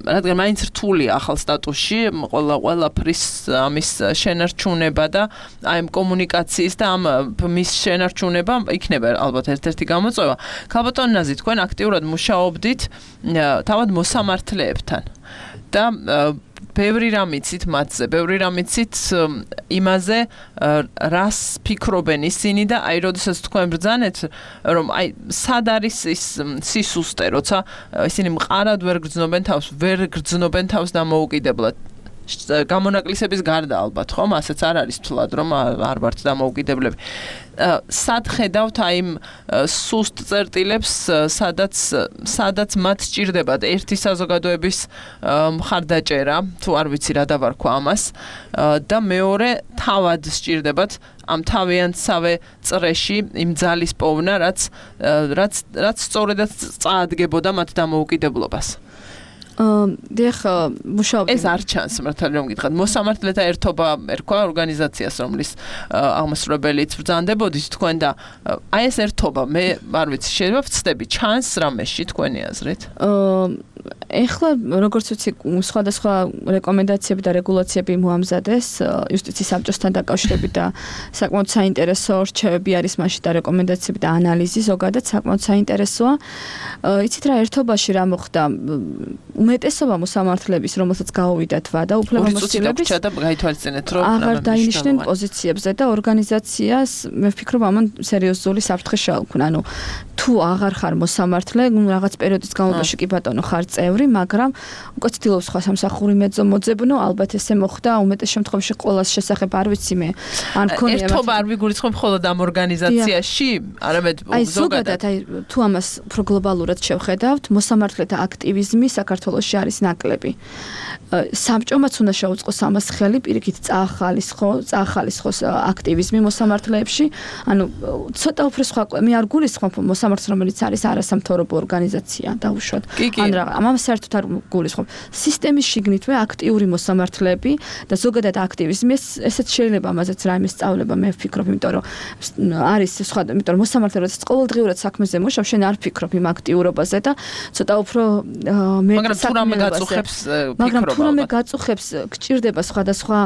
რადგან მაინც რთულია ახალ სტატუსში, ყველა ყველაფრის ამის შენარჩუნება და აი ამ კომუნიკაციის და ამ მის შენარჩუნება იქნება ალბათ ერთ-ერთი გამოწვევა. ქალბატონ ნაზი, თქვენ აქტიურად მუშაობდით თავად მოსამართლეებთან და ბევრი რამ იცით მათზე, ბევრი რამ იცით იმაზე, რას ფიქრობენ ისინი და აი როდესაც თქვენ ბრძანეთ, რომ აი სად არის ის სისუსტე, როცა ისინი მყარად ვერ გრძნობენ თავს, ვერ გრძნობენ თავს დამოუკიდებლად. გამონაკლისების გარდა ალბათ, ხომ? ასეც არ არის თვლად, რომ არ ვართ დამოუკიდებლები. სად ხედავთ აი იმ სუსტ წერტილებს, სადაც სადაც მათ სჭირდებათ ერთი საზოგადოების მხარდაჭერა, თუ არ ვიცი რა დავარქვა ამას, და მეორე თავად სჭირდებათ ამ თავიანთსავე წრეში იმ ძალის პოვნა, რაც რაც რაც სწორედაც წაადგებოდა მათ დამოუკიდებლობას. დიახ, მუშაობდი. ეს არ ჩანს, მართალი რომ გითხრათ. მოსამართლეთა ერთობა ერქვა ორგანიზაციას, რომლის აღმასრულებელიც ბრძანდებოდით თქვენ და აი ეს ერთობა, მე არ ვიცი, შეიძლება ვცდები, ჩანს რამეში თქვენი აზრით? ეხლა როგორც ვიცი, სხვადასხვა რეკომენდაციები და რეგულაციები მოამზადეს იუსტიციის საბჭოსთან დაკავშირებით და საკმაოდ საინტერესო რჩევები არის მასში და რეკომენდაციები და ანალიზი ზოგადად საკმაოდ საინტერესოა. იცით რა, ერთობაში რა მოხდა? უმეტესობა მოსამართლეების, რომელსაც გაუვიდათ ვადა, უფლებამოსილების აღარ დაინიშნენ პოზიციებზე და ორგანიზაციას მე ვფიქრობ ამან სერიოზული საფრთხე შეალქნა. ანუ თუ აღარ ხარ მოსამართლე, რაღაც პერიოდის განმავლობაში კი ბატონო ხარ წევრი, მაგრამ უკვე ცდილობს სხვა სამსახური მოძებნო, ალბათ ესე მოხდა, უმეტეს შემთხვევაში ყოველას შესახებ არ ვიცი მე. ან მქონია ერთობა არ ვიგულისხმობ მხოლოდ ამ ორგანიზაციაში, არამედ ზოგადად. აი თუ ამას უფრო გლობალურად შევხედავთ, მოსამართლეთა აქტივიზმი საქართველოში არის ნაკლები. საბჭომაც უნდა შეუწყოს ამას ხელი, პირიქით წაახალისხო, წაახალისხოს აქტივიზმი მოსამართლეებში. ანუ ცოტა უფრო სხვა, მე არ გულისხმობ მოსამართლეს, რომელიც არის არასამთავრობო ორგანიზაცია, დაუშვათ. ან რა, ამამ საერთოდ არ გულისხმობ. სისტემის შიგნითვე აქტიური მოსამართლეები და ზოგადად აქტივიზმი, ესეც შეიძლება ამაზეც რაიმე სწავლება, მე ვფიქრობ, იმიტომ რომ არის სხვა, იმიტომ რომ მოსამართლე როდესაც ყოველდღიურად საქმეზე მუშაობ, შენ არ ფიქრობ იმ აქტიურობაზე და ცოტა უფრო მე მაგრამ თუ რამე გაწუხებს ფიქრობა. თუ რამე გაწუხებს, გჭირდება სხვადასხვა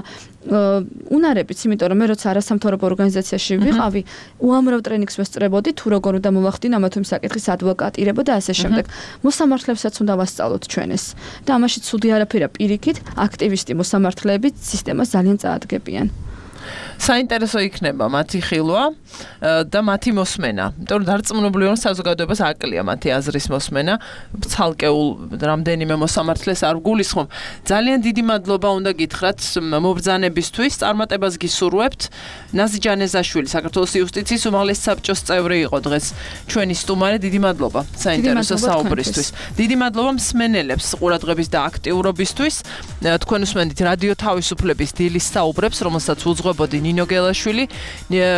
უნარებიც, იმიტომ რომ მე როცა არასამთავრობო ორგანიზაციაში ვიყავი, უამრავ ტრენინგს ვესწრებოდი, თუ როგორ უნდა მოვახდინო ამა თუ იმ საკითხის ადვოკატირება და ასე შემდეგ. მოსამართლებსაც უნდა ვასწავლოთ ჩვენ ეს. და ამაში ცუდი არაფერია, პირიქით, აქტივისტი მოსამართლეები სისტემას ძალიან წაადგებიან. საინტერესო იქნება მათი ხილვა და მათი მოსმენა. იმიტომ რომ დარწმუნებული ვარ, საზოგადოებას აკლია მათი აზრის მოსმენა. ცალკეულ რამდენიმე მოსამართლეს არ გულისხმობ. ძალიან დიდი მადლობა უნდა გითხრათ მობრძანებისთვის. წარმატებას გისურვებთ. ნაზი ჯანეზაშვილი, საქართველოს იუსტიციის უმაღლესი საბჭოს წევრი იყო დღეს ჩვენი სტუმარი. დიდი მადლობა საინტერესო საუბრისთვის. დიდი მადლობა მსმენელებს ყურადღების და აქტიურობისთვის. თქვენ უსმენთ რადიო თავისუფლების დილის საუბრებს, რომელსაც უძღვებოდი ნინო გელაშვილი,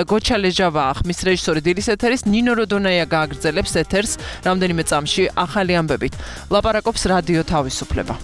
გოჩა ლეჟავა ხმის რეჟისორი დილის ეთერის, ნინო როდონაია გააგრძელებს ეთერს რამდენიმე წამში ახალი ამბებით. ლაპარაკობს რადიო თავისუფლება.